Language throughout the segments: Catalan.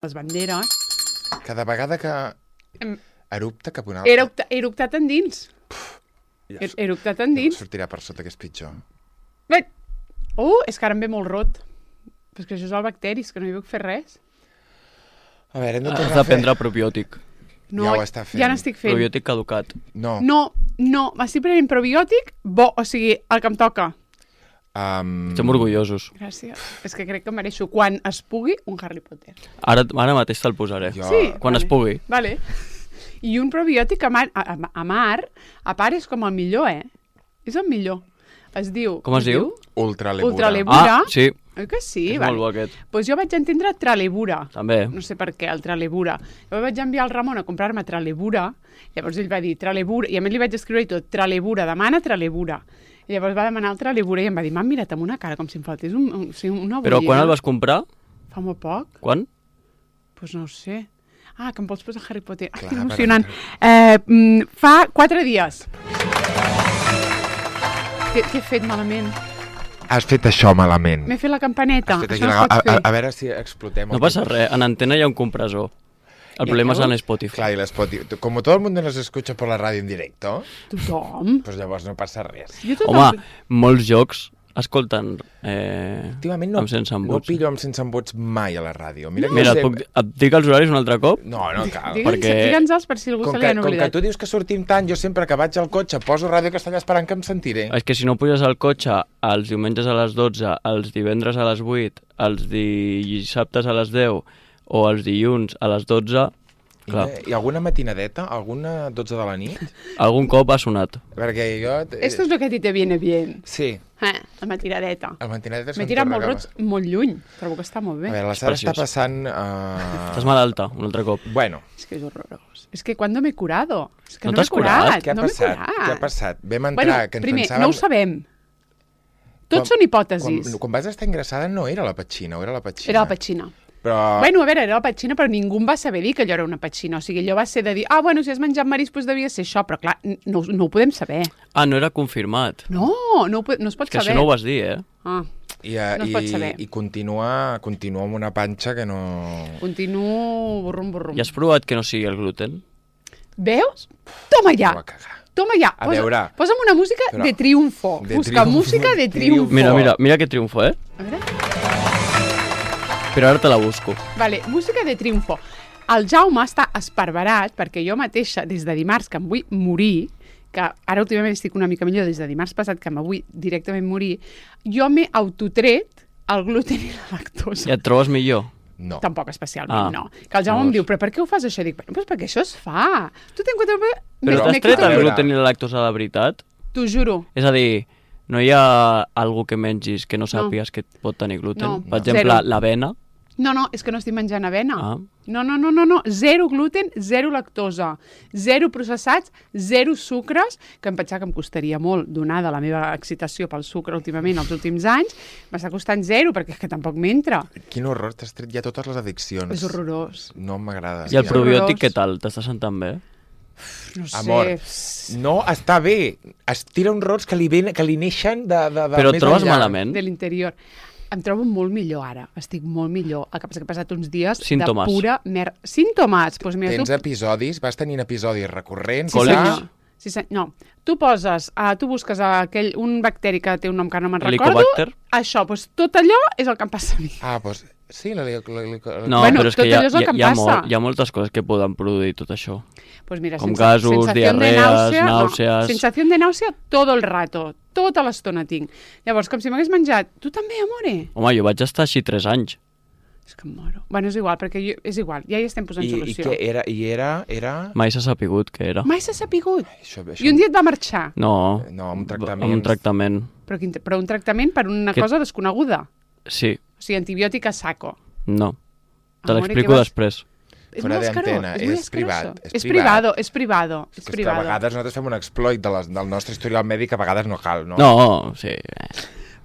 les banderes. Cada vegada que erupta cap una altra... He eruptat endins. He eruptat endins. Sortirà per sota, que és pitjor. És que ara em ve molt rot. Però és que això és el bacteris, que no hi puc fer res. A veure, hem de Has tornar de a fer... prendre probiòtic. No, Ja ho està fent. Ja n'estic fent. Probiòtic caducat. No. No, m'estic prenent probiòtic bo, o sigui, el que em toca. Estem orgullosos. Gràcies. És que crec que mereixo, quan es pugui, un Harry Potter. Ara mateix te'l posaré. Jo- Sí. Quan es pugui. Vale. I un probiòtic a part és com el millor, És el millor. Es diu... Com es diu? Ultralebura. Ultralebura. Ah, sí. Oi que sí? És molt bo aquest. Doncs jo vaig entendre Tralebura. També. No sé per què, el Tralebura. Jo vaig enviar el Ramon a comprar-me Tralebura, llavors ell va dir Tralebura, i a més li vaig escriure i tot, Tralebura, demana Tralebura. I llavors va demanar el Tralebura i em va dir, m'han mirat amb una cara com si em faltés una bollina. Però quan el vas comprar? Fa molt poc. Quan? Doncs no ho sé. Ah, que em vols posar Harry Potter. Clar, Que emocionant. Fa 4 dies. Què he fet malament? Has fet això malament. M'he fet la campaneta. Has fet Això aquí no es pot fer. a veure si explotem. No passa res, en antena hi ha un compressor. El problema és en Spotify. Claro, y Spotify. Como todo el mundo nos escucha por la radio en directo, Tothom. pues llavors no passa res. Jo tothom... Home, molts jocs escolten Últimament no, amb sense no embuts. pillo amb sense embuts mai a la ràdio. Mira, que Mira, sempre- et dic els horaris un altre cop? No cal. Digue'ns-els per si algú Com se li han que oblidat. tu dius que sortim tant, jo sempre que vaig al cotxe poso Ràdio Castellà esperant que em sentiré. És que si no puges al cotxe els diumenges a les 12, els divendres a les 8, els dissabtes a les 10 o els dilluns a les 12, clar, I alguna matinadeta? Alguna 12 de la nit? algun cop ha sonat. Perquè jo... Esto es lo que a ti te viene bien. Sí, La matiradeta. el matinadeta M'he tirat molt rots molt lluny. Trobo que està molt bé. A veure, la Sara està preciós. passant... Estàs malalta, un altre cop. Bueno, És que és horrorós. És que quan m'he curado. És que No no t'has m'he curat. curat? què ha no m'he passat? curat. Què ha passat? Vam entrar, Bueno, que ens primer, pensàvem... no ho sabem. Tots són hipòtesis. Quan vas estar ingressada no era la petxina, o era la petxina? Era la petxina. Però... Bueno, a veure, era la petxina, però ningú em va saber dir que allò era una petxina. O sigui, allò va ser de dir, bueno, si has menjat marisc, doncs devia ser això. Però, clar, no ho podem saber. Ah, no era confirmat. No es pot Que saber. això no ho vas dir, Ah, no es pot saber. I continua amb una panxa que no... continuo burrum. I has provat que no sigui el gluten? Veus? Toma ja! Va cagar. Toma ja! A veure. Posa'm una música Però- de triunfo. de Busca triunfo, música de triunfo. Mira que triomfo, A veure. Però ara te la busco. Vale, música de triunfo. El Jaume està esparverat perquè jo mateixa, des de dimarts, que em vull morir, que ara últimament estic una mica millor, des de dimarts passat, que em vull directament morir, jo m'he autotret el gluten i la lactosa. Ja et trobes millor? No. Tampoc especialment, Ah, no. Que el Jaume em llavors. diu, però per què ho fas això? Dic, pues perquè això es fa. Tu ten quatre... Però t'has tret el gluten i la lactosa de veritat? T'ho juro. És a dir, no hi ha algú que mengis que no sàpigues que pot tenir gluten? No, Per exemple, zero. l'avena. No, és que no estic menjant avena. Ah. No. Zero gluten, zero lactosa, zero processats, zero sucres, que em pensava que em costaria molt, donada la meva excitació pel sucre últimament, els últims anys, m'està costant zero, perquè és que tampoc m'entra. Quin horror, t'has tret ja totes les addiccions. És horrorós. No m'agrada. I el és probiòtic horrorós. què tal? T'està sentant bé? No sé. Amor, no està bé. Es tira uns rots que li neixen de Però et més trobes enllà. malament? De l'interior. Em trobo molt millor ara, estic molt millor. El que passa que he passat uns dies Símptomes. de pura merda. Símptomes? Doncs mira, Tens tu... episodis, vas tenint episodis recurrents. Còlics? ja? senyor. Sí, no. Tu busques un bacteri que té un nom que no me'n recordo. Helicobacter? Això, doncs tot allò és el que em passa a mi. Doncs sí, No, Bueno, però és que tot allò és el que em passa. hi ha moltes coses que poden produir tot això. Pues mira, Com gasos, sensación de diarrees, náusea, nàusees. No. Sensació de nàusea todo el rato. Tota l'estona tinc. Llavors, com si m'hagués menjat... Tu també, amore? Home, jo vaig estar així 3 anys. És que em moro. Bueno, és igual, perquè és igual. Ja hi estem posant I solució. què era? Era... Mai s'ha sapigut què era. Mai s'ha sapigut. Això, I un dia et va marxar. No, No, un amb un tractament. Però un tractament per una cosa desconeguda. Sí, O sigui, antibiòtic a saco. no. Te Amore, l'explico què vas- després. És Fora molt escarós, d'antena, és molt és privat, escaroso. és És privat. privado, és privado. És que a vegades nosaltres fem un exploit del nostre historial mèdic, a vegades no cal, no? No, sí.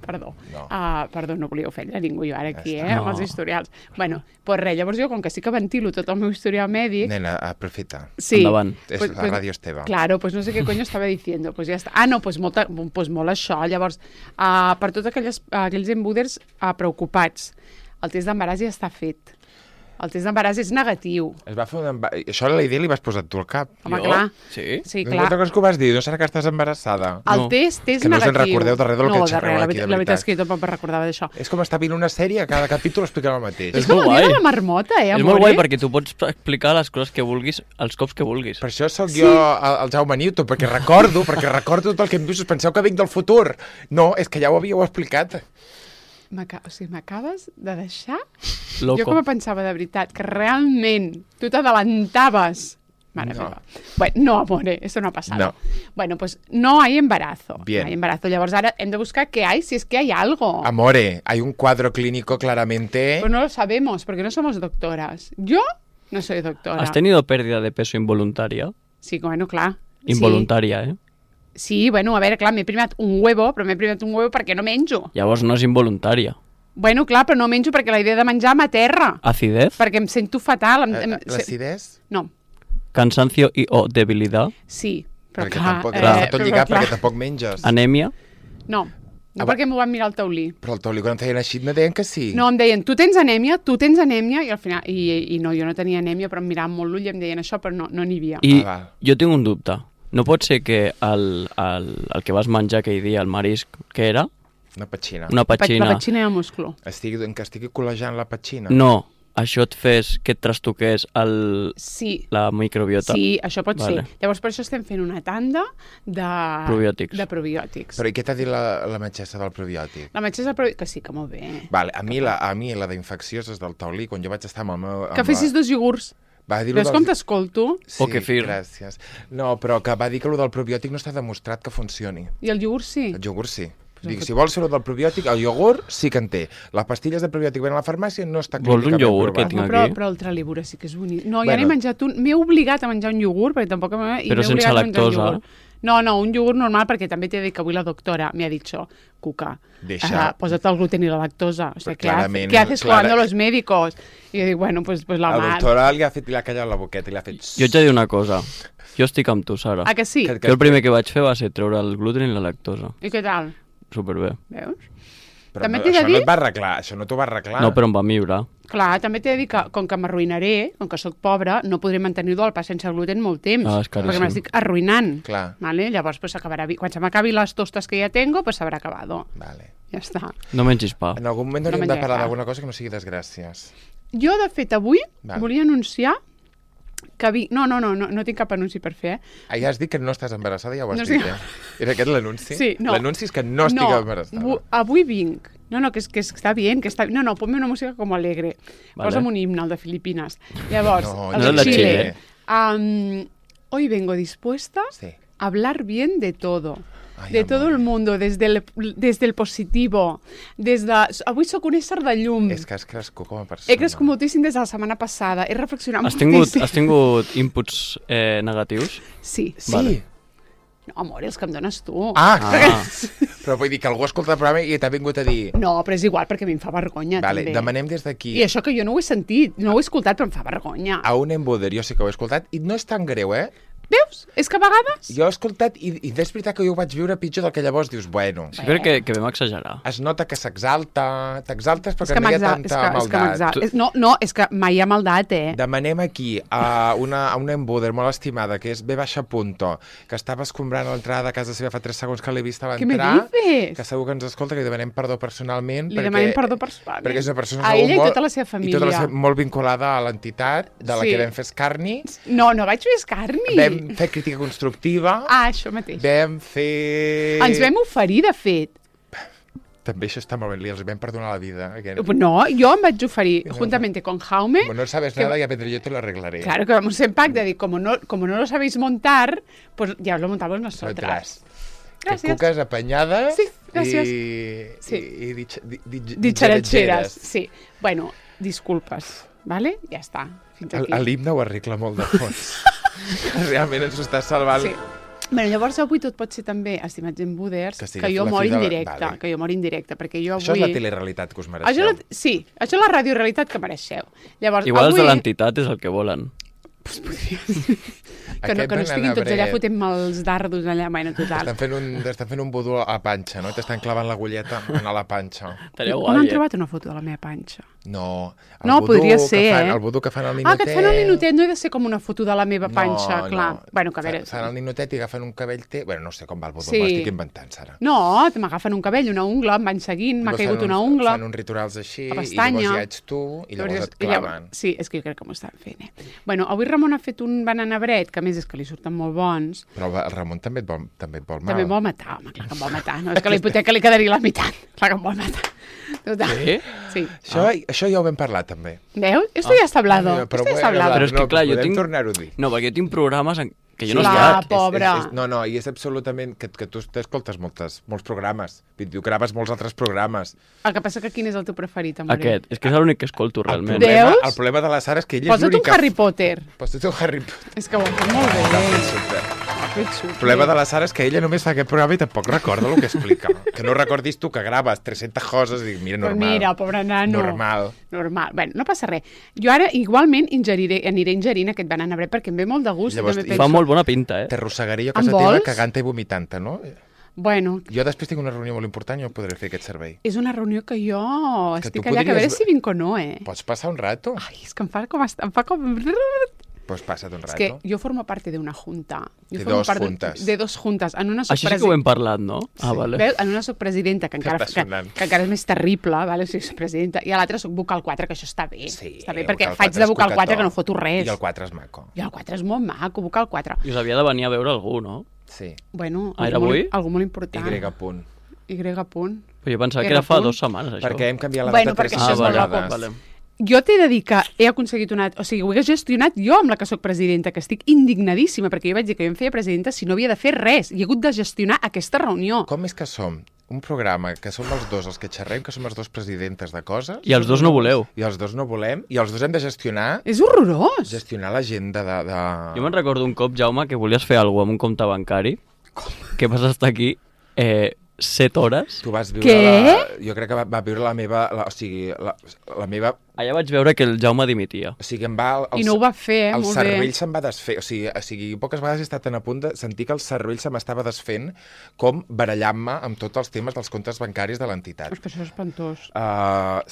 Perdó. No. Perdó, no volia ofendre ningú jo ara aquí, Ja està. amb els historials. Bueno, pues res, llavors jo, com que sí que ventilo tot el meu historial mèdic... Nena, aprofita. Sí. Endavant. La ràdio és teva. Claro, pues no sé què coño estava diciendo. Pues ja està. No, pues molt això. Llavors, per tots aquells embuders preocupats, el test d'embaràs ja està fet. El test d'embaràs és negatiu. Es va fer Això la idea li vas posar tu al cap. Home, clar. Sí? Sí, No clar. te'n recordes que ho vas dir? No serà que estàs embarassada? El No. test és Que no us en negatiu. recordeu de res del que no, xerreu aquí, de la veritat veritat. és que jo tampoc me recordava d'això. És com estar veient una sèrie, cada capítol explicarà el mateix. És com molt el dia guai. de la marmota, És amore? molt guai perquè tu pots explicar les coses que vulguis els cops que vulguis. Per això sóc jo el Jaume Newton, perquè recordo tot el que em dius. Us penseu que vinc del futur? No, és que ja ho havíeu explicat. O sigui, m'acabes de deixar... Loco. Jo com pensava de veritat, que realment tu t'adelantaves. Mare No. meva. Bueno, no, amore, eso no ha pasado. No. Bueno, pues no hay embarazo. Bien. No hay embarazo. Llavors ara hem de buscar qué hay, si es que hay algo. Amore, hay un cuadro clínico claramente... Pues no lo sabemos, porque no somos doctoras. Yo no soy doctora. ¿Has tenido pérdida de peso involuntaria? Sí, bueno, clar. Involuntaria, eh? Sí, bueno, a veure, clar, m'he primat un huevo, però m'he primat un huevo perquè no menjo. Llavors no és involuntària. Bueno, clar, però no menjo perquè la idea de menjar m'aterra. Acidez, Perquè em sento fatal. L'acidès? No, cansancio i o debilidad, sí, però Perquè clar... tampoc, clar, tot però lligat clar. perquè tampoc menges. anèmia, No, no Ah, perquè m'ho van mirar al taulí. Però el taulí quan em feien així me deien que sí. No, em deien, tu tens anèmia, i al final... I no, jo no tenia anèmia, però em miraven molt l'ull i em deien això, però no n'hi havia. i val. jo tinc un dubte. No pot ser que el que vas menjar aquell dia, el marisc, què era? Una petxina. Una La petxina. petxina de musclo. Que estigui col·legiant la petxina. No, això et fes que et trastoqués Sí, la microbiota. sí, això pot Vale. ser. Llavors, per això estem fent una tanda de... Probiòtics. De probiòtics. Però i què t'ha dit la metgessa del probiòtic? La metgessa que sí, que molt bé. Vale, a mi la d'infeccioses del taulí, quan jo vaig estar amb el meu... Que fessis 2 iogurts. Va dir Veus com t'escolto? Sí, O kefir. gràcies. No, però que va dir que el del probiòtic no està demostrat que funcioni. I el iogurt sí. El iogurt sí. Dic, si vols fer el del probiòtic, el iogurt sí que en té. Les pastilles de probiòtic ven a la farmàcia no està Vols un clínicament iogurt que provat. tinc Però, aquí? però el tralibura sí que és bonic. No, ja Bueno. n'he menjat un. M'he obligat a menjar un iogurt, perquè tampoc... Però sense lactosa? No, un iogurt normal, perquè també t'he dit que avui la doctora m'ha dit això. Cuca, posa't el gluten i la lactosa. O sea, clarament, ¿qué haces clara- cuando los médicos? I jo dic, bueno, pues la La mar. doctora li ha callat la boqueta i li ha fet... Jo ets de dir una cosa. Jo estic amb tu, Sara. Ah, que sí? Que- Jo el primer que vaig fer va ser treure el gluten i la lactosa. I què tal? Superbé. Veus? Però També no, t'he de això dir- no et va arreglar, això no t'ho va arreglar. No, però em va millorar. Clar, també t'he de dir que, com que m'arruïnaré, com que sóc pobra, no podré mantenir-ho el pa sense gluten molt temps. Ah, és caríssim. Perquè m'estic arruïnant. Clar. Vale? Llavors, pues, quan se m'acabi les tostes que ja tengo, pues s'habrà acabado. Vale. Ja està. No mengis pa. En algun moment No hauríem de menjaré parlar pa. d'alguna cosa que no sigui desgràcies. Jo, de fet, avui Vale. volia anunciar que no tinc cap anunci per fer, Ah, ja has dit que no estàs embarassada, ja ho has No dit, estic- Era aquest l'anunci? Sí, no. L'anunci és que no estic embarassada. Avui vinc. No, que està bien, que està... No, ponme una música com alegre. Vale. Posa'm un himne, el de Filipines. Llavors, No, el no de el de Chile. Xile. Hoy vengo dispuesta Sí. a hablar bien de todo. Ai, De amor. todo el mundo, desde el positivo, avui sóc un ésser de llum. És que has crescut com a persona. He crescut moltíssim des de la setmana passada, he reflexionat Has moltíssim. tingut inputs negatius? Sí. Sí. Vale. No, amor, els que em dones tu. Ah, però vull dir que algú escolta el programa i t'ha vingut a dir... No, però és igual, perquè a mi em fa vergonya, Vale, també. demanem des d'aquí I això que jo no ho he sentit, no ho he escoltat, però em fa vergonya. a un embuder, jo sí que ho he escoltat, i no és tan greu, eh? Veus? És que a vegades... Jo he escoltat i és veritat que jo ho vaig viure pitjor del que llavors dius, bueno, Sí, crec que vam exagerar. es nota que t'exaltes És perquè que no hi ha m'exal- tanta maldat. No, és que mai hi ha maldat, Demanem aquí a una embuder molt estimada, que és B. Punto, que estava escombrant l'entrada de casa seva fa 3 segons que l'he vist a Què me l'entrar, dices? que segur que ens escolta, que li demanem perdó personalment. Li demanem perdó personalment. Perquè és una persona A segur ella i molt- tota la seva família. I tota la seva, molt vinculada a l'entitat de la Sí. que vam fer escarni. No vaig fer escarni. Vam fer crítica constructiva. Ah, això mateix. Vam fer... Ens vam oferir, de fet. També això està molt bé, els vam perdonar la vida. No, jo em vaig oferir, juntamente con Jaume, Como no sabes nada, ya vendré yo te lo arreglaré. claro que vamos en pack de decir, como no lo sabéis montar, pues ya os lo montamos nosotras. Que Gràcies. cuques apanyades Sí, gràcies. i Ditxaratxeres, sí. Bueno, disculpes, vale? Ja està, fins aquí. L'himne ho arregla molt de fons. Realment ens ho està salvant. Sí. Bueno, llavors avui tot pot ser també, estimats embuders, Que que, sigui jo la mor fi de la- indirecte, vale. que jo mor indirecte, perquè jo avui... Això és la telerealitat que us mereixeu. Sí, això és la radiorealitat que mereixeu. Llavors, Igual els avui... de l'entitat és el que volen. Pues podria ser. Que no Aquest estiguin tots allà bananabret. fotent-me els dardos allà. Bueno, total. Estan fent un vudú a la panxa, no? T'estan clavant l'agulleta a la panxa. Estaria On guai, han trobat una foto de la meva panxa? No, No, podria ser, El vudú que fan al Ah, ninotet. que et fan el ninotet, no he de ser com una foto de la meva panxa, No, clar. no. Bueno, que a veure... Fan el ninotet i agafen un cabell Bueno, no sé com va el vudú, Sí. m'estic inventant, Sara. No, m'agafen un cabell, una ungla, em van seguint, m'ha Llavors caigut fan una uns- ungla. Fan uns rituals així, la i pestanya. llavors ja ets tu, i llavors et claven. Sí, és que jo crec que m'ho estan fent, Bueno, avui Ramon ha fet un bananabret, que a més és que li surten molt bons. Però el Ramon també et vol mal. També em vol matar, home, clar que em vol matar. No, és que la hipoteca li quedaria la meitat. Clar que em vol matar. Total. Sí? Sí. Això ja ho vam parlar, també. Veus? Esto ya está hablado. Esto ya está hablado. Però és que, clar, jo podem tinc- tornar-ho a dir. No, perquè jo tinc programes que jo no he Clar, estat. pobre. No, i és absolutament... Que tu t'escoltes molts programes. Tu graves molts altres programes. El que passa que quin és el teu preferit, amor? Aquest. És que és l'únic que escolto, realment. Veus? El problema de la Sara és que ella és Posa't un l'única... Harry Potter. Posa't un Harry Potter. És que ho ha fet molt bé. L'ha fet super. Ho ha fet super. El problema de la Sara és que ella només fa aquest programa i tampoc recorda el que explica. Que no recordis tu que graves 300 coses i dic, mira, Però normal. mira, pobre nano. Normal. Bueno, no passa res. Jo ara igualment aniré ingerint aquest bananabret perquè em ve molt de gust. Llavors, i també i Fa penso... molt bona pinta, T'arrossegaria a En casa teva vols? cagant-te i vomitant-te, no? Bueno, Jo després tinc una reunió molt important i no podré fer aquest servei. és una reunió que jo Que estic tu allà, que a veure podries- si vinc o no, Pots passar un rato? Ai, és que em fa com... Em fa com... Pues passa't un És rato. que jo formo parte de una junta. Jo De formo dos part juntes. De dos juntes. En una soc Així sí que ho hem parlat, no? Ah, Sí. vale. Veus? En una soc presidenta, que encara, està sonant. que encara és més terrible, vale? O sigui, soc presidenta, i a l'altra soc vocal 4, que això està bé. Sí, està bé, el perquè vocal faig 4 de és vocal 4 cocató. que no foto res. I el 4 és maco. I el 4 és molt maco, vocal 4. I us havia de venir a veure algú, no? Sí. Bueno, Ah, era avui? algú molt important. Y punt. Y punt. Però jo pensava que Era era fa punt. 2 setmanes, això. Perquè hem canviat la Bueno, data perquè 3 això és molt vegades. loco. Jo t'he de dir que he aconseguit una... O sigui, ho he gestionat jo amb la que sóc presidenta, que estic indignadíssima, perquè jo vaig dir que jo em feia presidenta si no havia de fer res. I he hagut de gestionar aquesta reunió. Com és que som un programa que som els dos els que xerrem, que som les dos presidentes de coses... I els dos no voleu. I els dos no volem, i els dos hem de gestionar És horrorós. l'agenda de... Jo me'n recordo un cop, Jaume, que volies fer alguna cosa amb un compte bancari, que vas estar aquí 7 hores. Tu vas viure Què? Jo crec que va viure la meva... O sigui, la meva... Allà vaig veure que el Jaume dimitia. O sigui, em va... I no ho va fer, el molt bé. cervell se'm va desfer. O sigui, poques vegades he estat a punt de sentir que el cervell se m'estava desfent com barallant-me amb tots els temes dels comptes bancaris de l'entitat. És que això és espantós.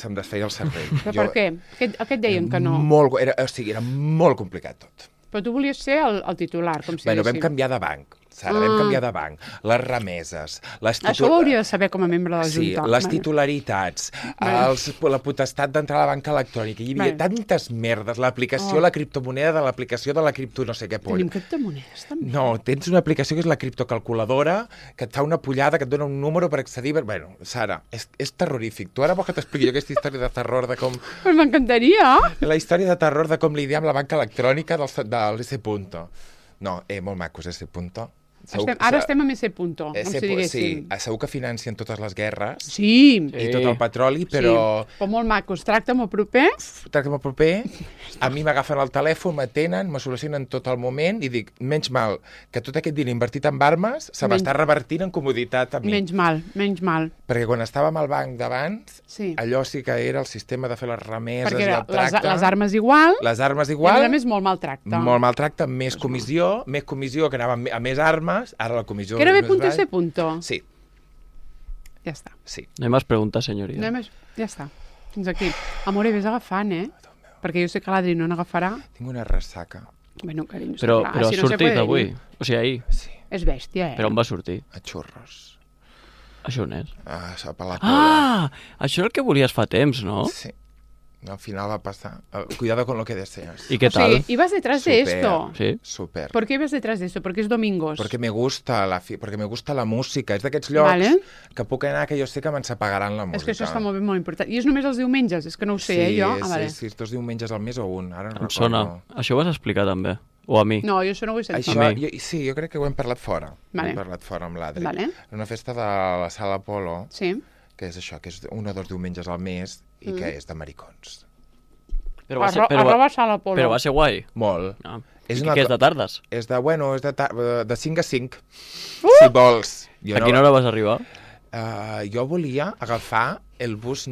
Se'm desfeia el cervell. Però per què? Què et deien que no? Era molt complicat tot. Però tu volies ser el titular, com si Bueno, vam diguéssim. canviar de banc. Sara, vam canviar de banc. Les remeses, Això ho hauria de saber com a membre de la Sí, Junta. les Vale. titularitats, Vale. la potestat d'entrar a la banca electrònica. Hi havia Vale. tantes merdes. L'aplicació, Oh. la criptomoneda de l'aplicació de la cripto no sé què poll. Tenim criptomonedes, també. No, tens una aplicació que és la criptocalculadora, que et fa una pollada, que et dona un número per accedir... Bueno, Sara, és terrorífic. Tu ara vols que t'expliqui jo aquesta història de terror de com... Pues m'encantaria. La història de terror de com lidiar amb la banca electrònica del S. No, molt macos, S. Ara estem a S. Punto, com si Sí, diguéssim. segur que financen totes les guerres Sí. i tot el petroli, però... Sí, però molt macos. Tracta molt proper. Tracta'm el proper, a mi m'agafen el telèfon, m'atenen, me solucionen tot el moment i dic, menys mal, que tot aquest diner invertit en armes se m'està revertint en comoditat a mi. Menys mal, menys mal. Perquè quan estàvem al banc d'abans, Sí. allò sí que era el sistema de fer les remeses Perquè i era el tracte. les armes igual, Les armes i a igual, més molt maltracte. molt maltracte, més comissió, que anava a més armes, ara la comissió... Que era és B. més baix. S. Punto. Sí, Ja està. sí. No hi més preguntes, senyoria. No hi més... Ja està. Fins aquí. Amore, vés agafant, Perquè jo sé que l'Adri no n'agafarà. Tinc una ressaca. Bueno, carinyo, Però clar, has si no se sortit puede avui. ir. O sigui, ahir. Sí, És bèstia, Però on va sortir? a xurros. Això on és? A la pola. Ah! Això és el que volies fa temps, no? Sí. Al final va passar. Cuidado con lo que deseas. I què O tal? sigui, ibas detrás de esto. Sí. Super. ¿Por qué ibas detrás de esto? Porque es domingos. Perquè me gusta la música. És d'aquests llocs Vale. que puc anar que jo sé que me'ns apagaran la música. És que això està molt bé, molt important. I és només els diumenges? És que no ho sé, sí, jo? Sí, sí, 2 diumenges al mes o un, ara no Em recordo. sona. Això ho vas explicar també. O a mi. No, jo això no ho he sentit. Això, A mi. sí, jo crec que ho hem parlat fora. Vale. Hem parlat fora amb l'Adri. Vale. Una festa de la Sala Polo, Sí. que és això, que és 1 o 2 diumenges al mes i que és de maricons. Però va ser, Sala Polo. però va ser guai. Molt. Ah. És I una què és co- de tardes? És de, bueno, és de 5 a 5, si vols. Jo A quina hora vas arribar? Jo volia agafar el bus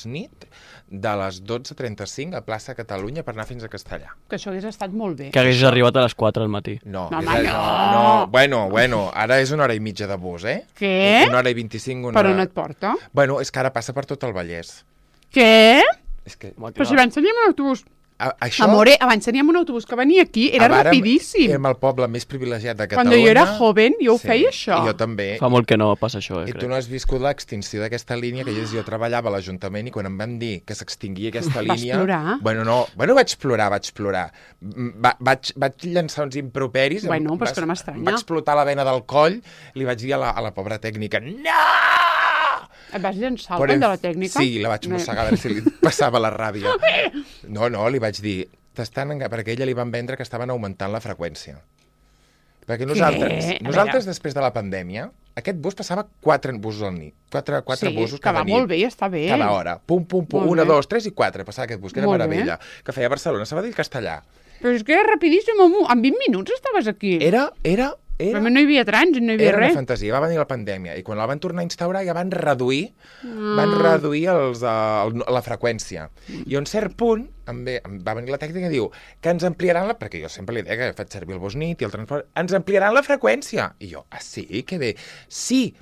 nit, de les 12:35 a plaça Catalunya per anar fins a Castellà. Que això hagués estat molt bé. Que hagués arribat a les 4 del matí. No, No, és home, no. Bueno, ara és 1 hora i mitja de bus, eh? Què? 1 hora i 25, Per on et porta? Bueno, és que ara passa per tot el Vallès. Què? És que... Però si abans teníem un autobús... Això... Amore, abans teníem un autobús que venia aquí, era rapidíssim. Érem el poble més privilegiat de Quan Catalunya. jo era joven, jo ho feia això. I jo també. Fa molt que no passa això, I tu crec. no has viscut l'extinció d'aquesta línia, que jo treballava a l'Ajuntament i quan em van dir que s'extinguia aquesta Vas línia... plorar? Bueno, vaig plorar. Vaig llançar uns improperis. Bueno, però és que no m'estranya. Va explotar la vena del coll, li vaig dir a la pobra tècnica, no! Et vas llançar el coll de la tècnica? Sí, la vaig mossegar a veure si li passava la ràbia. No, li vaig dir, perquè a ella li van vendre que estaven augmentant la freqüència. Perquè nosaltres després de la pandèmia, aquest bus passava 4 busos al nit. 4 busos cada nit. Que va molt bé i està bé. Cada hora. Pum, 1, 2, 3 i 4. Passava aquest bus, que era Molt meravella. Que feia Barcelona, Sabadell, Castellà. Però és que era rapidíssim, en 20 minuts estaves aquí. Era Però no hi havia trànsit, no hi havia una res. fantasia. Va venir la pandèmia i quan la van tornar a instaurar ja van reduir la freqüència. I a un cert punt va venir la tècnica i diu que ens ampliaran perquè jo sempre li deia que faig servir el bus nit i el transport, ens ampliaran la freqüència. I jo, sí, que bé. Sí,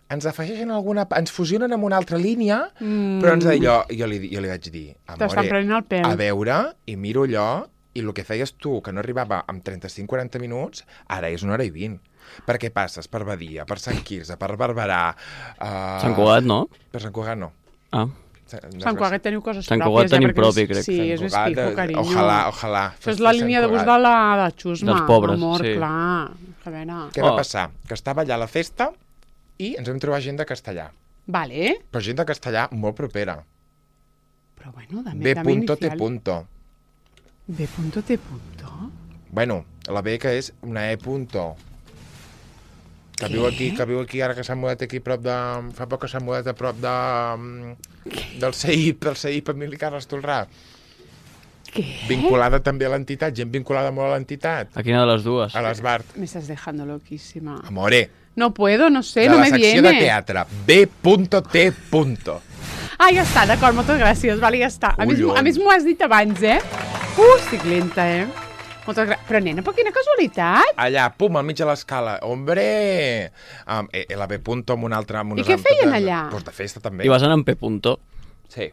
ens afegeixen ens fusionen amb una altra línia, però jo li vaig dir, T'estan prenent el pèl. A veure, i miro allò, i el que feies tu, que no arribava en 35-40 minuts, ara és 1 hora i 20. Perquè passes per Badia, per Sant Quirze, per Barberà... Sant Cugat, no? Per Sant Cugat, no. Ah. Sant Cugat teniu coses Sant pròpies. Cugat tenim propi, crec. Sí, és més pico, carinyo. Ojalà. Això és la línia de bus de la Xusma. Dels pobres, amor, sí. clar. A veure... Què va passar? Que estava allà a la festa i ens vam trobar gent de Castellà. Vale. Però gent de Castellà molt propera. Però bueno, dame B.T. B.T. Bueno, la B que és una E. Que viu aquí, ara que s'ha mudat aquí prop de... Fa poc que s'ha mudat a prop del CEIP Emili Carles Tolrà. Què? Vinculada també a l'entitat, gent vinculada molt a l'entitat. A quina de les dues? A l'Esbart. Me estás dejando loquísima. Amore. No puedo, no sé, De no la me secció viene. de teatre. B.T. Ah, ja està, d'acord, moltes gràcies. Vale, ja està. A Collons. més m'ho has dit abans, eh? Estic lenta, Moltes gràcies. Però, nena, per quina casualitat. Allà, pum, al mig de l'escala. Hombre! La B. amb una altra... I què feien allà? Doncs de festa, també. I vas anar amb P. Sí.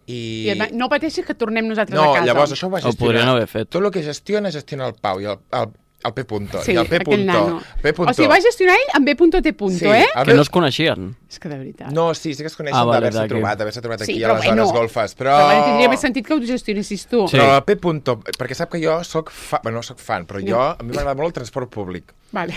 I no pateixis que tornem nosaltres No, a casa. llavors això ho va Ho podrien gestionar. haver fet. Tot el que gestiona el Pau i el P. Sí, I el P. aquell nano. P. O sigui, va gestionar ell amb B.T. Sí, eh? Que no es coneixien. És que de veritat. No, sí que es coneixen Ah, vale, d'haver-se d'aquí. trobat Sí, aquí però a les hores bueno. golfes, Però bueno, tindria més sentit que ho gestionessis tu. Sí. Però el P. Perquè sap que jo soc no soc fan, però a mi m'agrada molt el transport públic. Vale.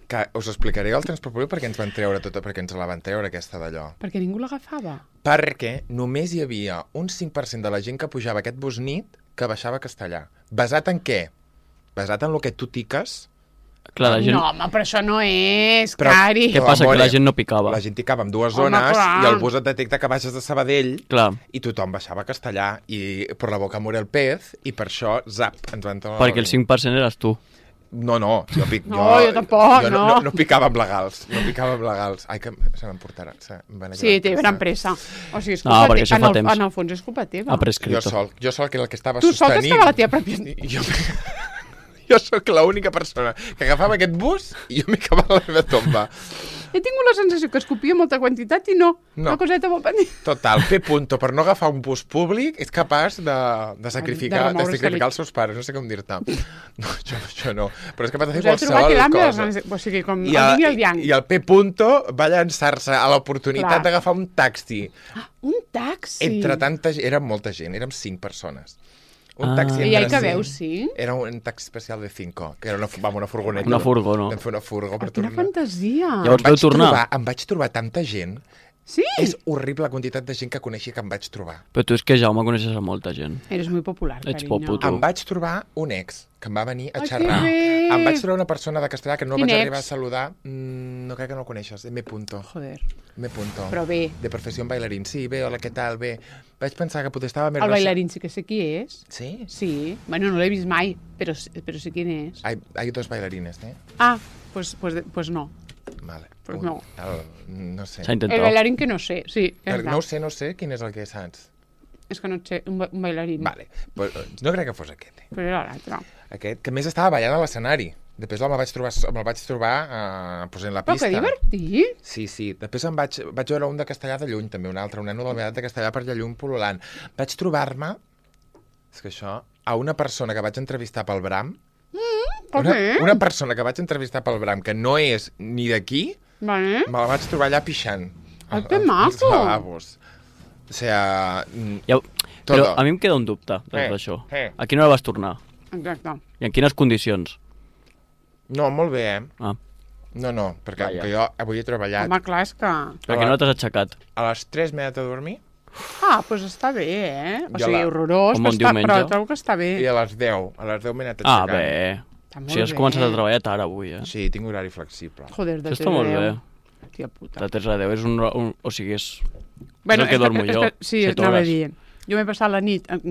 Que us explicaré el transport públic perquè ens van treure perquè ens la van treure aquesta d'allò. Perquè ningú l'agafava. Perquè només hi havia un 5% de la gent que pujava aquest bus nit que baixava a Castellà. Basat en què? Basat en el que tu tiques. Clar, la gent... No, home, però això no és, Però- cari. Què passa? Amore, Que la gent no picava. La gent ticava en dues Home, zones clar. i el bus et detecta que baixes de Sabadell Clar, i tothom baixava a Castellà i per la boca mora el pez i per això, zap, ens van treure... perquè el 5% eres tu. No, jo Jo tampoc, jo no. no picava amb legals, Ai, que se m'emportarà. Sí, té gran pressa. O sigui, és No, culpa perquè això fa temps. En el fons és culpa teva. Ha prescrito. Jo sol que el que estava Tu sol que sostenint... estava a la teva pròpia... Jo sóc l'única persona que agafava aquest bus i jo m'hi acabava la meva tomba. He tingut la sensació que escopia molta quantitat i no. No. Una coseta molt petita. Total, P. Per no agafar un bus públic és capaç de sacrificar els seus pares, no sé com dir-te. No, això no. Però és capaç de fer Us heu trobat qualsevol l'àmbia, cosa. o sigui, com el yin i el yang. I el P. va llançar-se a l'oportunitat Clar. d'agafar un taxi. Un taxi. Entre tanta gent, érem molta gent, érem 5 persones. Un taxi I entre hi que 5. veus, sí? Era un taxi especial de 5, que era una furgoneta. Una furgo, no? Vam fer una furgo per Quina tornar. fantasia. Llavors vau tornar. Em vaig trobar tanta gent. Sí? És horrible la quantitat de gent que coneixia que em vaig trobar. Però tu és que, Jaume, coneixes a molta gent. Eres muy popular, Ets carinyo. poputo. Em vaig trobar un ex que em va venir a Ai, xerrar. que bé! Em vaig trobar una persona de Castellà que no Quin vaig ex? arribar a saludar. No crec que no el coneixes. M. Joder. M. Però bé. De professió en bailarín. Sí, bé, hola, què tal? Bé. Vaig pensar que potser estava més... El bailarín sí que sé qui és. Sí? Sí. Bueno, no l'he vist mai, però sé quién és. Hay dos bailarines, ¿eh? Ah, pues no. Vale. Pues no. No sé. S'ha El intentat. bailarín que no sé, sí. Ja No està. ho sé, quin és el que saps? És que no sé, un bailarín. Vale, pues, no crec que fos aquest. Però era l'altre. Aquest, que a més estava ballant a l'escenari. Després me'l vaig trobar pues, en la Però pista. que divertit. Sí. Després vaig veure un de Castellà de Lluny, també un altre, un nano de la meva edat de Castellà per allà lluny pol·lulant. Vaig trobar-me, és que això, a una persona que vaig entrevistar pel Bram, Per què? una persona que vaig entrevistar pel Bram, que no és ni d'aquí, Vale. me la vaig trobar allà pixant. Ai, que maco. Als lavabos. O sea, Ja, todo. però a mi em queda un dubte d'això. A quina hora vas tornar? Exacte. I en quines condicions? No, molt bé, Ah. No, perquè Vaja. que jo avui he treballat. Home, clar, és que... Per què no t'has aixecat? A les 3 m'he anat a dormir Doncs està bé, eh? O Jo sigui, horrorós, Com un diumenge. però trobo que està bé. i a les 10 m'he anat Ah, aixecant. bé. Està O molt sigui, has bé. començat a treballar tard avui, eh? Sí, tinc horari flexible. Joder, de Això està molt bé. Tia puta. De 3 a 10 és un... O sigui, és... Bueno, és el que dormo jo. Sí, 7 anava a hores. dir. Jo m'he passat la nit amb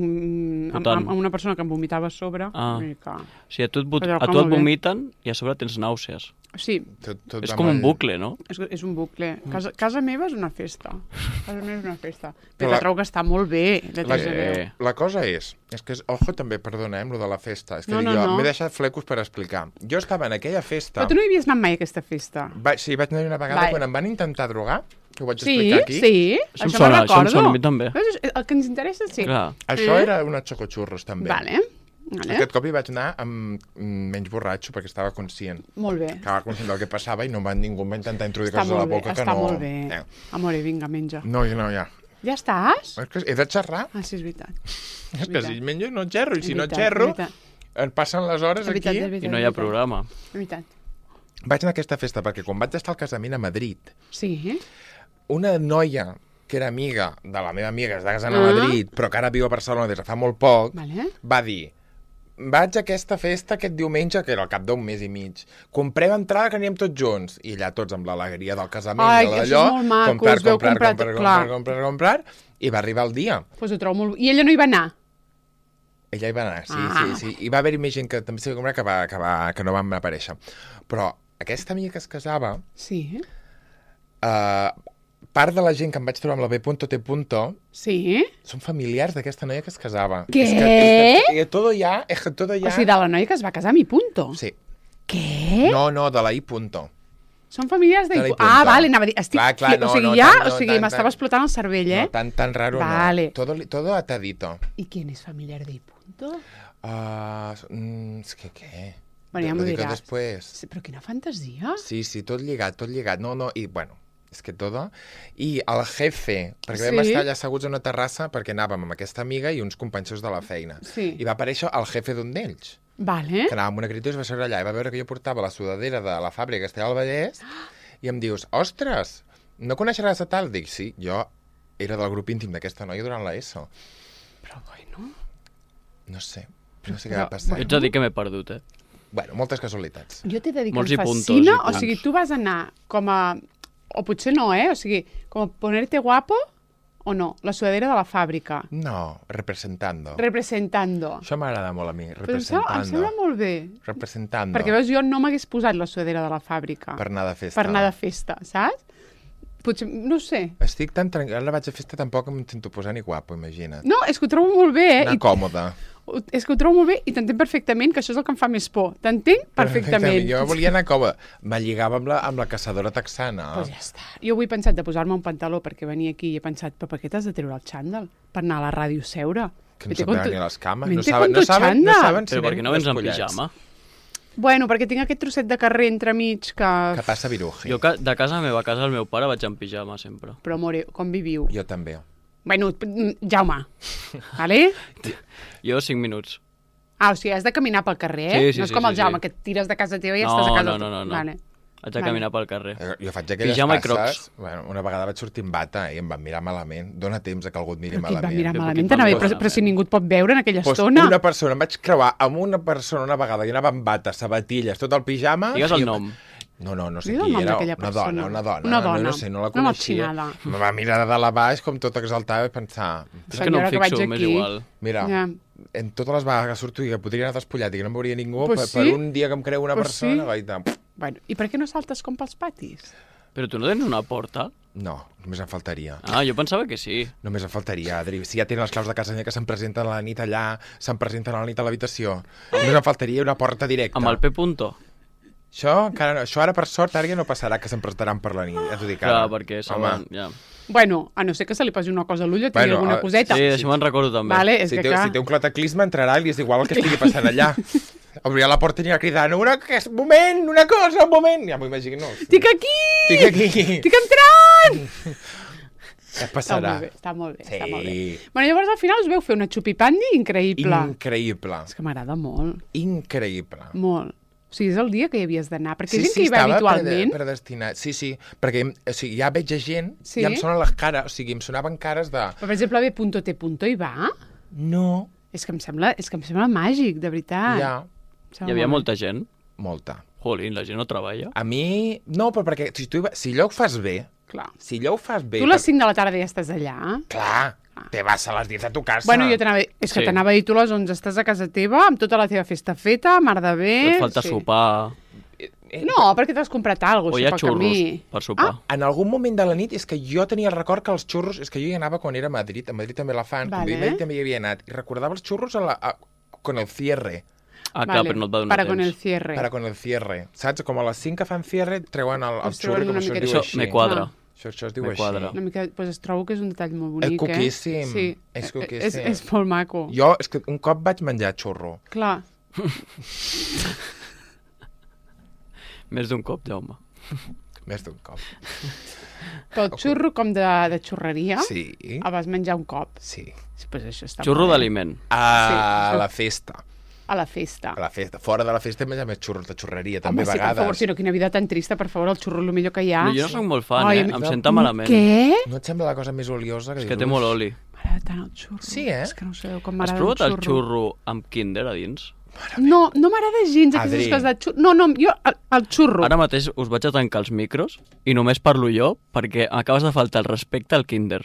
Votant. una persona que em vomitava a sobre. Ah. I que... O sigui, a tu Però et molt bé. vomiten i a sobre tens nàusees. Sí, Tot És va com un molt- bucle, no? és un bucle. Casa meva és una festa. Casa meva és una festa. Però Però la- trobo que està molt bé. De La, 3 a 10. la cosa és que ojo també, perdona, amb lo de la festa. És que No, dic no, jo, no. m'he deixat flecos per explicar. Jo estava en aquella festa... Però tu no hi havies anat mai a aquesta festa? Sí, vaig anar una vegada Vai. quan em van intentar drogar, que ho vaig Sí, explicar aquí. sí. Això em Això sona, me'n això em recordo. sona a mi també. Veus? El que ens interessa, sí. Clar. Això era una xocoxurros, també. Vale. Aquest cop hi vaig anar amb menys borratxo, perquè estava conscient. Molt bé. Estava conscient del que passava i ningú em va intentar introduir Està coses a la molt bé, boca que està no... molt bé. Amore, vinga, menja. No, ja. Ja estàs? És que he de xerrar. Ah, sí, és veritat. És que si menjo no xerro, i si És no veritat, xerro, és veritat. em passen les hores És veritat, aquí. és veritat, I no hi és ha veritat. programa. És veritat. Vaig anar a aquesta festa perquè quan vaig estar al casament a Madrid, Sí. una noia que era amiga de la meva amiga que està casant a Madrid, però que ara viu a Barcelona des de fa molt poc, Vale. va dir: vaig a aquesta festa aquest diumenge, que era al cap d'un mes i mig. Comprem entrada que anirem tots junts. I allà tots amb l'alegria del casament Ai, i de això és d'allò, molt maco, es veu comprar, i va arribar el dia. Pues ho trobo molt... I ella no hi va anar? Ella hi va anar, sí, Ah. sí. I va haver-hi més gent que també s'hi va comprar que no van aparèixer. Però aquesta amiga que es casava, Sí. part de la gent que em vaig trobar amb la B.T. Sí? són familiars d'aquesta noia que es casava. Què? És que todo ya... O sigui, de la noia que es va casar a mi punto. Sí. Què? No, de la I. Són familiars de... De la I. Ah, vale, anava a dir... Estic... Clar, o sigui, no, ja... tant, no, o sigui, tant, m'estava tant. explotant el cervell, eh? No, tan raro Vale. no. Todo atadito. ¿Y quién es familiar de I. punto? És que què? Bueno, ja Lo m'ho dic diràs. després. Sí, però quina fantasia. Sí, tot lligat. No, i bueno, és que todo. I el jefe, perquè Sí. vam estar allà asseguts a una terrassa perquè anàvem amb aquesta amiga i uns companys seus de la feina. Sí. I va aparèixer el jefe d'un d'ells, Vale. que anava amb una criatura i es va seure allà i va veure que jo portava la sudadera de la fàbrica que estava al Vallès i em dius, ostres, no coneixeràs a tal? Dic, sí, jo era del grup íntim d'aquesta noia durant l'ESO. Però bueno... No sé què Però, va passar. Ets a dir que m'he perdut, eh? Bueno, moltes casualitats. Jo t'he de dir que Molts em i puntos, fascina, i o punts. sigui, tu vas anar com a... O potser no, eh? O sigui, com a ponerte guapo o no, la sudadera de la fàbrica. No, representando. Representando. Això m'agrada molt a mi, Però em sembla representando. molt bé. Representando. Perquè, veus, jo no m'hagués posat la sudadera de la fàbrica. Per anar de festa. Per anar de festa, saps? Potser, no sé. Estic tan tranquil·la, ara vaig a festa tampoc em sento posar ni guapo, imagina't. No, és que ho trobo molt bé, eh? Anar còmode. És que ho trobo molt bé i t'entenc perfectament, que això és el que em fa més por. T'entenc perfectament. Jo volia anar còmode. Me lligava amb la caçadora texana. Pues ja està. Jo avui he pensat de posar-me un pantaló perquè venia aquí i he pensat, però per què t'has de treure el xàndal? Per anar a la ràdio seure. Que no Vete se'n con veuen tu- ni les cames. Vente No saben, con tu chándal. si Però per què no vens en despullats. pijama? Bueno, perquè tinc aquest trosset de carrer entremig que... Que passa viruji. Jo de casa meva a casa del meu pare vaig en pijama sempre. Però, amore, com viviu? Jo també. Bueno, Jaume, vale? Jo 5 minuts. Ah, o sigui, has de caminar pel carrer, eh? Sí, sí, no és sí, com el sí, Jaume, sí. que et tires de casa teva i No, estàs a casa... no, no, no, no. Vale. Haig de caminar pel carrer. Jo faig aquelles Pijama i passes... crocs. Bueno, una vegada vaig sortir amb bata i em van mirar malament. Dóna temps a que algú et miri Però qui et va malament. mirar Però malament? qui et va T'anava a dir, mirar però si ningú et pot veure en aquella Pues estona. una persona, em vaig creuar amb una persona una vegada i anava amb bata, sabatilles, tot el pijama... Digues el i- nom. No sé Digues el qui nom era. d'aquella Una persona. dona. Una dona. No sé, no la Una coneixia. motxinada. Me va mirar de dalt a baix com tot exaltada i pensar... És que no Senyora, em que vaig fixo, m'és aquí. igual. Mira, Ja. en totes les vegades que surto i que podria anar despullat i que no em veuria ningú, Pues per sí. un dia que em creu una Pues persona, sí. vaig de... Bueno, i per què no saltes com pels patis? Però tu no tens una porta? No, només em faltaria. Ah, jo pensava que sí. Només em faltaria, Adri. Si ja tenen les claus de casa meva que se'm presenten a la nit allà, se'm presenten a la nit a l'habitació. Només em faltaria una porta directa. Amb el P. Això, encara no. Això ara, per sort, ara ja no passarà que se'm presentaran per la nit. Ja t'ho dic ara. Clar, perquè saben... Ja. Bueno, a no ser que se li posi una cosa a l'ull o tingui alguna coseta. Sí, això me'n recordo també. Vale, és Si que té un cataclisme, entrarà i li és igual el que estigui passant allà. Obrirà la porta i anirà cridant un moment, una cosa, un moment. Ja m'ho imagino. Estic aquí! Estic aquí! Estic entrant! Què passarà? Està molt bé, Sí. està molt bé. Bueno, llavors al final us veu fer una xupipandi increïble. Increïble. És que m'agrada molt, Increïble. molt. O sigui, és el dia que hi havies d'anar, perquè hi ha gent que hi va habitualment. Predestinat. Sí, perquè o sigui, ja veig gent, Sí? ja em sonen les cares, o sigui, em sonaven cares de... Però, per exemple, B.T. hi va? No, És que em sembla màgic, de veritat. ja, Hi havia molta gent. molta. Jolín, la gent no treballa. A mi... No, però perquè si allò ho fas bé, Clar. si allò ho fas bé... Tu a les 5 de la tarda ja estàs allà. Clar, te vas a les 10 a tu casa. Bueno, jo t'anava a dir, és que Sí. t'anava a dir, tu a les 11 estàs a casa teva, amb tota la teva festa feta, mar de bé... Et falta sopar. No, perquè t'has comprat alguna O cosa, hi ha pel xurros camí. per sopar. En algun moment de la nit és que jo tenia el record que els xurros... És que jo hi anava quan era a Madrid també la fan, Vale. quan Madrid també hi havia anat, i recordava els xurros con el cierre. Ah, clar, però no et va donar Para con temps. el cierre. Para con el cierre. Saps? Com a les 5 que fan cierre, treuen el Us xurro, treuen com una això es miqueta. diu Això així. me quadra. Això es diu Me així. quadra. Una mica, pues es trobo que és un detall molt bonic, Coquíssim. Sí, És coquíssim. és molt maco. Jo, és que un cop vaig menjar xurro. Clar. Més d'un cop, Jaume. Més d'un cop. Però el xurro com de xurreria, Sí. el vas menjar un cop. Sí. Pues això està Xurro molt bé. d'aliment. A Sí. la festa. A la festa. A la festa. Fora de la festa he menjat més xurros de xurreria, també Home, a sí, per vegades. favor, si no, quina vida tan trista, per favor, el xurro és el millor que hi ha. No, jo no soc molt fan, Ai, Em senta malament. Què? No et sembla la cosa més oliosa? És que té molt oli. M'agrada tant el xurro. Sí, eh? És que no sabeu com Has m'agrada provat el el xurro amb Kinder a dins? No, no m'agrada gens aquestes Adri. coses de xurro. No, jo, el xurro. Ara mateix us vaig a tancar els micros i només parlo jo perquè acabes de faltar el respecte al Kinder.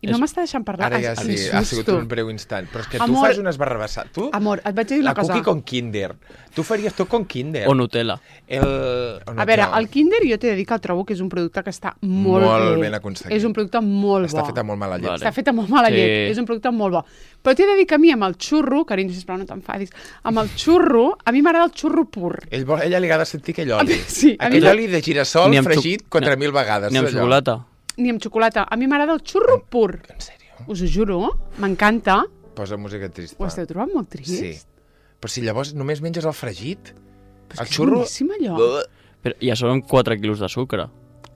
I no m'està deixant parlar. Ara ja sí, Em ha sigut susto. un breu instant. Però és que tu Amor. fas unes barrabassades. Tu, Amor, et vaig dir una la cosa. cookie con Kinder. Tu faries tot con Kinder. O Nutella. A veure, el Kinder jo t'he de dir que el trobo que és un producte que està molt bé. ben aconseguit. És un producte molt bo. Està feta molt mala llet. Vale. Està feta molt mala Sí. llet. És un producte molt bo. Però t'he de dir que a mi amb el xurro, carinyo, sisplau, no t'enfadis, amb el xurro, a mi m'agrada el xurro pur. Ella li agrada sentir aquell oli. Sí, a mi aquell no- oli de girassol Ni amb fregit xoc- 4.000 vegades. Ni amb allò. xocolata. Ni amb xocolata. A mi m'agrada el xurro pur. En sèrio? Us ho juro, m'encanta. Posa música trista. Ho esteu trobant molt trist? Sí. Però si llavors només menges el fregit, Però el és que xurro... és boníssim, allò. Però ja són 4 quilos de sucre.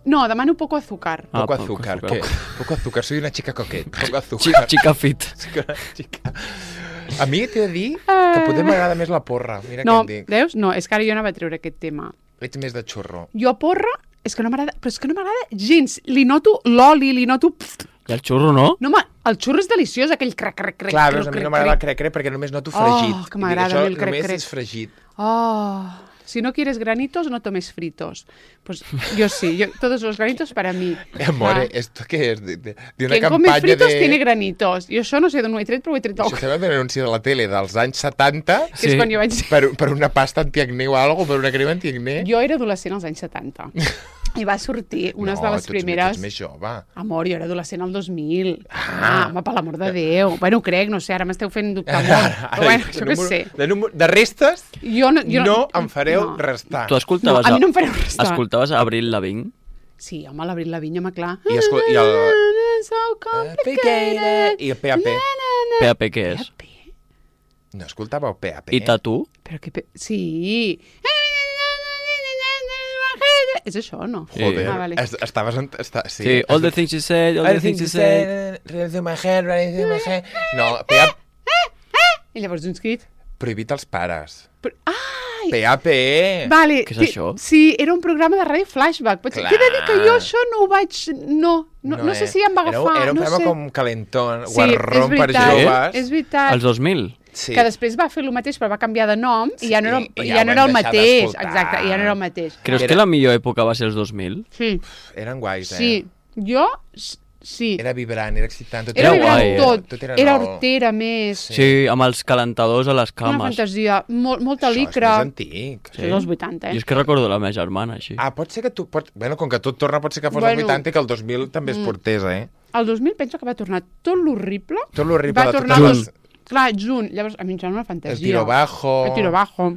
No, demano poco azúcar. Ah, Poco poco azúcar. azúcar. ¿Qué? Poco azúcar. Soy una chica coquet. Poco azúcar. Chica fit. Chica. A mi t'he de dir que potser m'agrada més la porra. Mira No, què et dic. veus? No, és que ara jo no vaig treure aquest tema. Ets més de xurro. Jo porra, és que no m'agrada, però és que no m'agrada gens. Li noto l'oli, li noto... I el xurro no? No, el xurro és deliciós, aquell crec. Clar, veus, a mi no m'agrada el crec-crec perquè només noto fregit. Oh, que m'agrada a mi el crec-crec. Només és fregit. Oh, si no quieres granitos, no tomes fritos. Pues yo sí, todos los granitos para mí. Amore, ¿esto qué es? De una Quien come campanya fritos de... tiene granitos. Jo això no sé d'on ho he tret, però ho he tret Això sembla un anunci de la tele dels anys 70 que és quan jo vaig... per una pasta antiacné o alguna cosa, per una crema antiacné. Jo era adolescent als anys 70. I va sortir unes de les primeres... No, tu ets més jove. Amor, jo era adolescent al 2000. Home, per l'amor de Déu. Bueno, ho crec, no sé, ara m'esteu fent dubtar molt. Però bueno, això què sé. De restes, Jo no em fareu no. restar. Tu escoltaves... No, a mi no em fareu restar. Escoltaves Avril Lavigne? Sí, home, l'Abril Lavigne, home, clar. I So complicated. I el PAP. PAP què és? No escoltàveu PAP? I Tatu? Però que... Sí. És això o no? Joder, Ah, vale. estaves... Sí, Sí, all the things you said, all the things you said... Running through my head, running through my head... No, PAP... I llavors un crit. Prohibit als pares. Ai! PAP! Vale. Què és això? Sí, era un programa de ràdio flashback. Potser t'he de dir que jo això no ho vaig... No sé si ja em va agafar. Era un no programa sé. com calentón, Sí, guarrón és per veritat, joves. És veritat. Els 2000? Sí. Que després va fer el mateix, però va canviar de nom i ja no era, Sí, i ja ja no ho era el vam deixar mateix. d'escoltar. Exacte, ja no era el mateix. Creus Era- que la millor època va ser els 2000? Sí, Eren guais, sí. Jo Sí. Era vibrant, era excitant. Tot Era vibrant guai, tot. Tot Era nou. hortera més. Sí, amb els calentadors a les Una cames. fantasia. Molta Això licra. és més antic. Sí, dels 80, Jo és que recordo la meva germana, així. Pot ser que tu... Bueno, com que tot torna, pot ser que fos Bueno. el 80 i que el 2000 també es portés, El 2000 penso que va tornar tot l'horrible. Tot l'horrible Va de tornar totes les... Clar, junt. Llavors, a mi em sembla una fantasia. El tiro bajo. El tiro bajo.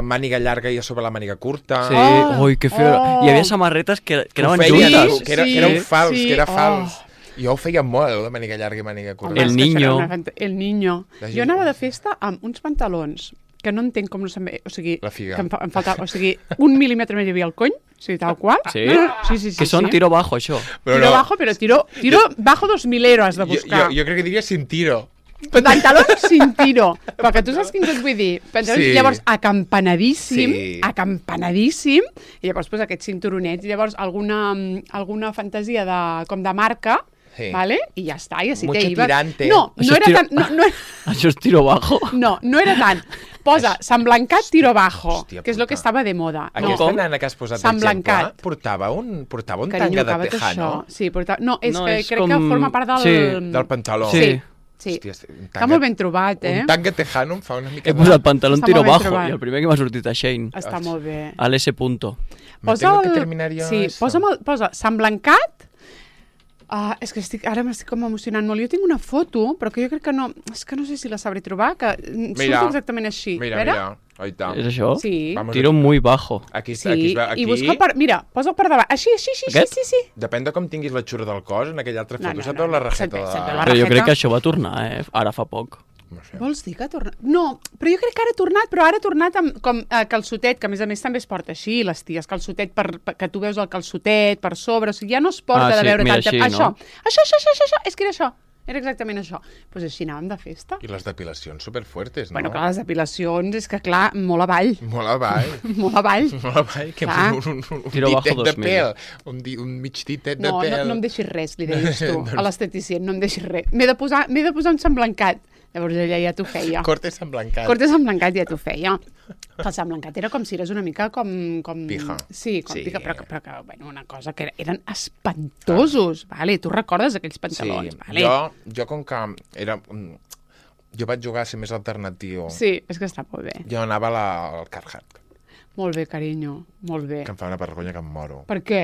Màniga llarga i a sobre la màniga curta. Sí, Oh, ui, que feo. oh. Hi havia samarretes que Que anaven ho feia, juntes. que era Sí, un fals, sí. que era Oh. fals. Jo ho feia molt, de màniga llarga i màniga curta. El És que això era niño. El niño. La Jo gent- anava de festa amb uns pantalons que no entenc com no se'm ve... O sigui, La figa. que em faltava... O sigui, 1 mil·límetre més hi havia al cony, o sigui, tal qual. Sí? Sí. Que són tiro bajo, això. Tiro bajo, però tiro bajo 2.000 has de buscar. Jo crec que diria sin tiro. Pantalons sin tiro. Però que tu saps quin et vull dir. Pantalons, Sí. llavors, acampanadíssim, Sí. acampanadíssim, i llavors pues, aquests cinturonets, i llavors alguna fantasia com de marca, Sí. vale? I ja està, i així Mucho te ibas. tirante. No, Això no és era tiro- tan... No, Això és tiro bajo. no era tant. Posa Sant Blancat tiro bajo, Hòstia que és el que puta. estava de moda. Aquesta Com? nana que has posat Sant d'exemple Blancat. portava un Carinyo, tanga de acaba't tejano això. Sí, no, és No, que és crec com- que forma part del... Sí. del pantaló. Sí. Sí. Hòstia, un Està molt ben trobat, eh? Un tanga tejano em fa una mica... He posat pantalón Està tiro molt ben bajo trobat. i el primer que m'ha sortit a Shane. Està molt bé. Al S punto. Me tengo que terminar yo Sí, eso. posa Sant Blancat. És que ara m'estic com emocionant molt. Jo tinc una foto, però que jo crec que no... És que no sé si la sabré trobar, que Mira. surt exactament així. Mira, Vera? mira. Ahí está. És això? Sí. Vamos Tiro muy bajo. Aquí, Sí, aquí, es veu- aquí, i busca per... Mira, posa per davant. Així, Aquest? sí. Depèn de com tinguis la xurra del cos, en aquella altra No, foto no, se't no, veu la no, rajeta se't de... veu la Però jo rajeta. crec que això va tornar, ara fa poc. No sé. Vols dir que ha tornat? No, però jo crec que ara ha tornat, però ara ha tornat amb com calçotet, que a més també es porta així, les ties, calçotet, que tu veus el calçotet per sobre, o sigui, ja no es porta de sí, veure mira, tanta... així, Això, no? això, és que era això. Era exactament això. Doncs pues així anàvem de festa. I les depilacions superfuertes, no? Bueno, clar, les depilacions, és que clar, molt avall. Molt avall. Molt avall. Molt avall, que Clar. un Tiro bajo ditet de 2000. pèl. Un mig ditet de No, pèl. no em deixis res, li deies tu, a l'esteticient, no em deixis res. M'he de posar un Sant Blancat. Llavors ella ja t'ho feia. Corte Sant Blancat. Corte Sant Blancat ja t'ho feia. El Sant Blancat era com si eres una mica com... Pija. Sí, com Sí. pica, però que, bueno, una cosa que eren espantosos, vale? Tu recordes aquells pantalons, vale? Jo com que era... Jo vaig jugar a ser més alternatiu. Sí, és que està molt bé. Jo anava al Carhartt, Molt bé, carinyo, molt bé. que em fa una vergonya que em moro. Per què?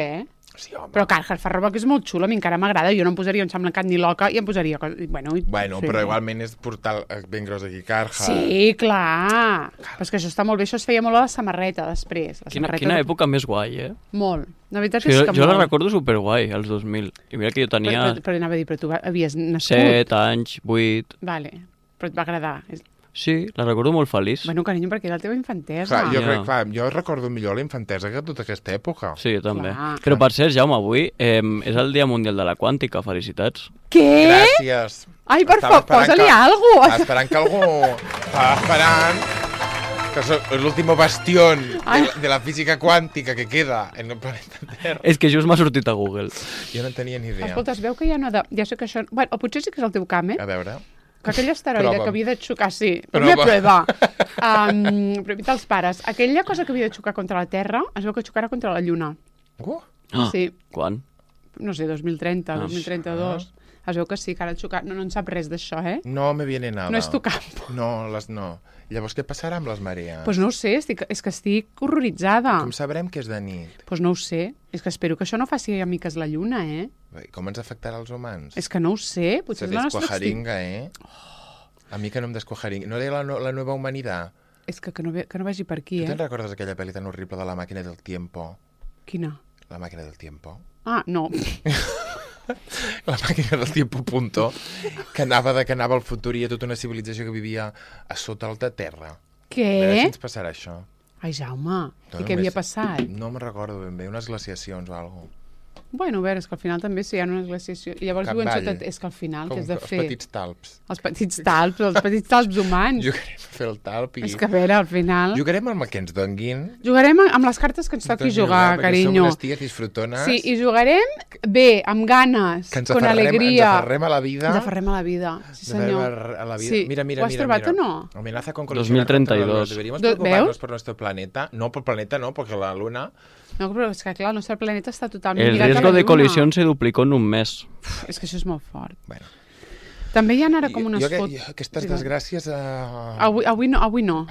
Sí, home. Però Carhartt fa roba que és molt xula, a mi encara m'agrada, jo no em posaria un Sant Blancat ni loca i em posaria... Bueno, Bueno, sí. però igualment és portar ben gros aquí Carhartt. Sí, clar. Però és que això està molt bé, això es feia molt a la samarreta després. La samarreta Quina època més guai, eh? Molt. La veritat Sí, és que jo la molt. recordo superguai, els 2000. I mira que jo tenia Però anava a dir, però tu havies nascut. 7 anys, 8... Vale, però et va agradar. Sí, la recordo molt feliç. Bueno, carinyo, perquè era la teva infantesa. Clar, jo, Ja. crec, clar, jo recordo millor la infantesa que tota aquesta època. Sí, jo també. Clar. Però per cert, Jaume, avui és el Dia Mundial de la Quàntica. Felicitats. Què? Gràcies. Ai, per Estava favor, esperant posa-li que- algo. Estava esperant que algú... Estava esperant que és l'último bastión de la física quàntica que queda en el planeta Terra. És que just m'ha sortit a Google. Jo no en tenia ni idea. Escolta, es veu que ja no... Ja sé que això... Bueno, o potser sí que és el teu camp, eh? A veure... Que aquell asteroide Prova. que havia de xocar... Sí, Prova. una prova. Prova els pares. Aquella cosa que havia de xocar contra la Terra, es veu que xocarà contra la Lluna. Ah, Sí. Quan? No sé, 2030, Ah, 2032. Es veu que sí, que ara xocar... No en sap res d'això, eh? No me viene nada. No és tu camp. No, no. Llavors, què passarà amb les marees? Doncs pues no ho sé, és que estic horroritzada. Com sabrem que és de nit? Doncs pues no ho sé. És que espero que això no faci amiques la Lluna, eh? Com ens afectarà als humans? És que no ho sé. Potser Se és la nostra descuajaringa, eh? A mi que no em descuajaringa. No era la nova humanitat? És que no vagi per aquí, Tu te'n eh? recordes aquella pel·li tan horrible de la màquina del tiempo? Quina? La màquina del tiempo? Ah, no. La màquina del tiempo, punto. Que anava al futur i hi ha tota una civilització que vivia a sota de terra. A veure si Què? ens passarà això. Ai, Jaume, No, i què havia només- passat? No me'n recordo ben bé, unes glaciacions o alguna cosa. Bueno, a veure, és que al final també si hi ha una glaciació... I llavors diuen Capvall. sota... És que al final, què has de els fer? petits talps. Els petits talps humans. Jugarem a fer el talp i... És que a veure, al final... Jugarem amb el que ens donguin. Jugarem amb les cartes que ens toqui jugar, perquè carinyo. Som unes ties disfrutones. Sí, i jugarem bé, amb ganes, que ens con aferrem, alegria. Ens aferrem a la vida. Ens aferrem a la vida, sí Nos aferrem senyor. a la vida. Sí. Mira, Ho has trobat o no? Amenaza con colisionar 2032. contra la Luna. Deberíamos ¿Veus? preocuparnos por nuestro planeta. No, por planeta no, porque la Luna No, però és que, clar, el nostre planeta està totalment El lligat a la riesgo de Lluna. colisión se duplicó en un mes. És que això és molt fort. Bueno. També hi ha ara com unes jo, fotos... aquestes Digue'm. desgràcies... Avui no.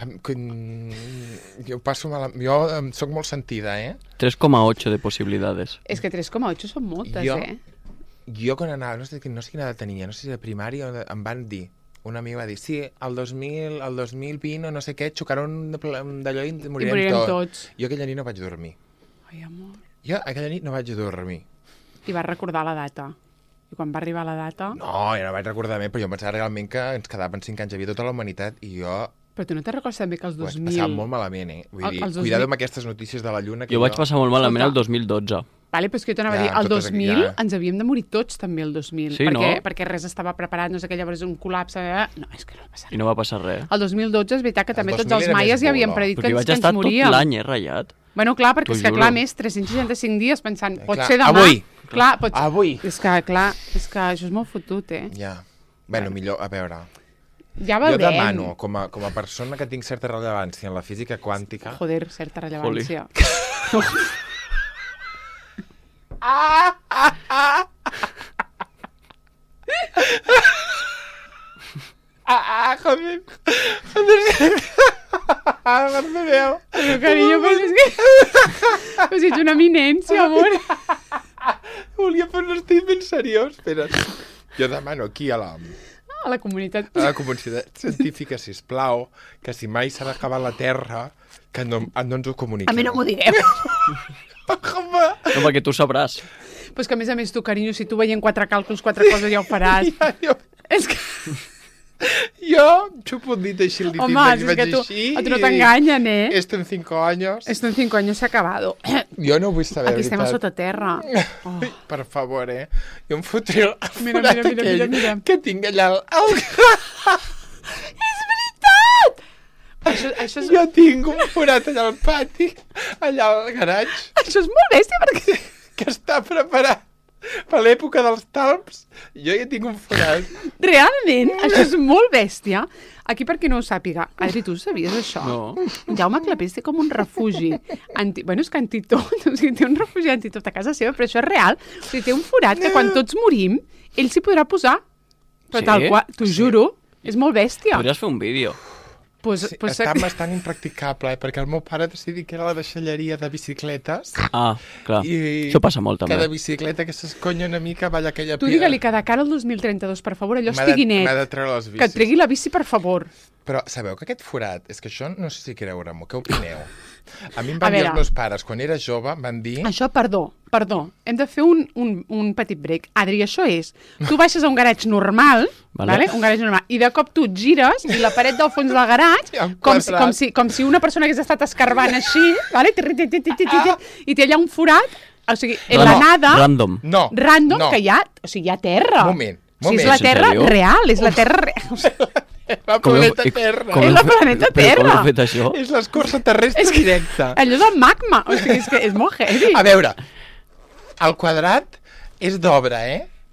Jo passo mal... Jo sóc molt sentida, 3,8 de posibilidades. És que 3,8 són moltes, Jo- eh? Jo quan anava, no sé quina edat tenia, no sé si de primària, em van dir, un amic va dir, sí, el 2020 o no sé què, xocaron d'allò i morirem tots. Jo aquella nit no vaig dormir. Ai, amor. Jo aquella nit no vaig dormir. I vas recordar la data. I quan va arribar la data... No, ja no vaig recordar més, però jo em pensava realment que ens quedaven 5 anys, hi havia tota la humanitat, i jo Però tu no te'n recordes també que els ho vaig 2000... passar molt malament, Vull dir, Els 2000 cuidado amb aquestes notícies de la Lluna. Que Jo vaig passar molt malament el Escolta. 2012. Vale, però és que jo t'anava a Ja, dir, el totes 2000 ja. ens havíem de morir tots també el 2000. Sí, perquè, no? perquè res estava preparat, no sé què, llavors un col·lapse... No, és que no va passar I no va passar res. El 2012 és veritat que també 2000 tots els era més maies ja havien bolo. predit Perquè que vaig ens estar tot moríem. l'any, ratllat. Bueno, clar, perquè T'ho és que, juro. clar, més 365 dies pensant, pot Clar, ser demà... avui. Clar, pot... Avui. És que, clar, és que això és molt fotut, eh? Ja. Bueno, millor, a veure... Ja Jo veurem. demano, com a persona que tinc certa rellevància en la física quàntica... Joder, certa rellevància. joder. Perdoneu. Però, carinyo, però és que... Però si ets una eminència, amor. Volia fer un estil ben seriós. Espera. Jo demano aquí a A la comunitat... la comunitat científica, sisplau, que si mai s'ha d'acabar la Terra, que no ens ho comuniqueu. A mi no m'ho digueu. Home! No, perquè tu sabràs. Però és que, a més, tu, carinyo, si tu veient 4 càlculs, 4 coses ja ho faràs. És que... Jo xupo un dit així, el dit Home, vaig és que així. a tu no t'enganyen, eh? Esto en 5 años. Esto en 5 años s'ha acabado. Jo no vull saber, Aquí estem a veritat. sota terra. Oh. Per favor, Jo em fotré el Mira, forat mira, mira, aquell mira. que tinc allà al... És veritat! Això és... Jo tinc un forat allà al pati, allà al garatge, Això és molt bèstia, perquè... que està preparat per l'època dels talps. Jo ja tinc un forat. Realment, això és molt bèstia. Aquí, per qui no ho sàpiga, Adri, tu sabies això? No. Jaume Clapés té com un refugi. Bueno, és que antitot, o sigui, té un refugi antitot a casa seva, però això és real. O sigui, té un forat que quan tots morim, ell s'hi podrà posar. Però Sí? tal qual, t'ho juro, és molt bèstia. Podries fer un vídeo. Sí, està bastant impracticable, perquè el meu pare decidir que era la deixalleria de bicicletes. Ah, clar. Això passa molt, també. Cada bicicleta que s'esconya una mica va allà aquella Tu digue-li que de cara al 2032, per favor, allò estigui net. M'ha de treure les bicis. Que et tregui la bici, per favor. Però sabeu que aquest forat, és que això no sé si creure-m'ho, què opineu? A mi em van A dir veure. els meus pares, quan era jove, em van dir... Això, perdó, hem de fer un petit break. Adri, això és, tu baixes a un garatge normal, Vale. un garatge normal, i de cop tu et gires i la paret del fons del garatge, Hi ha un com quadrat. si una persona hagués estat escarbant així, vale? I té allà un forat, o sigui, en la nada, Random. No, random, no. que hi ha, o sigui, hi ha terra. Moment. O sigui, és la En terra sèrio? real, és la terra real. La planeta Terra. És la planeta Però com Terra. heu fet això? És l'escorça terrestre És que- directa. Allò del magma, o sigui, és que és molt heavy. A veure, el quadrat és d'obra,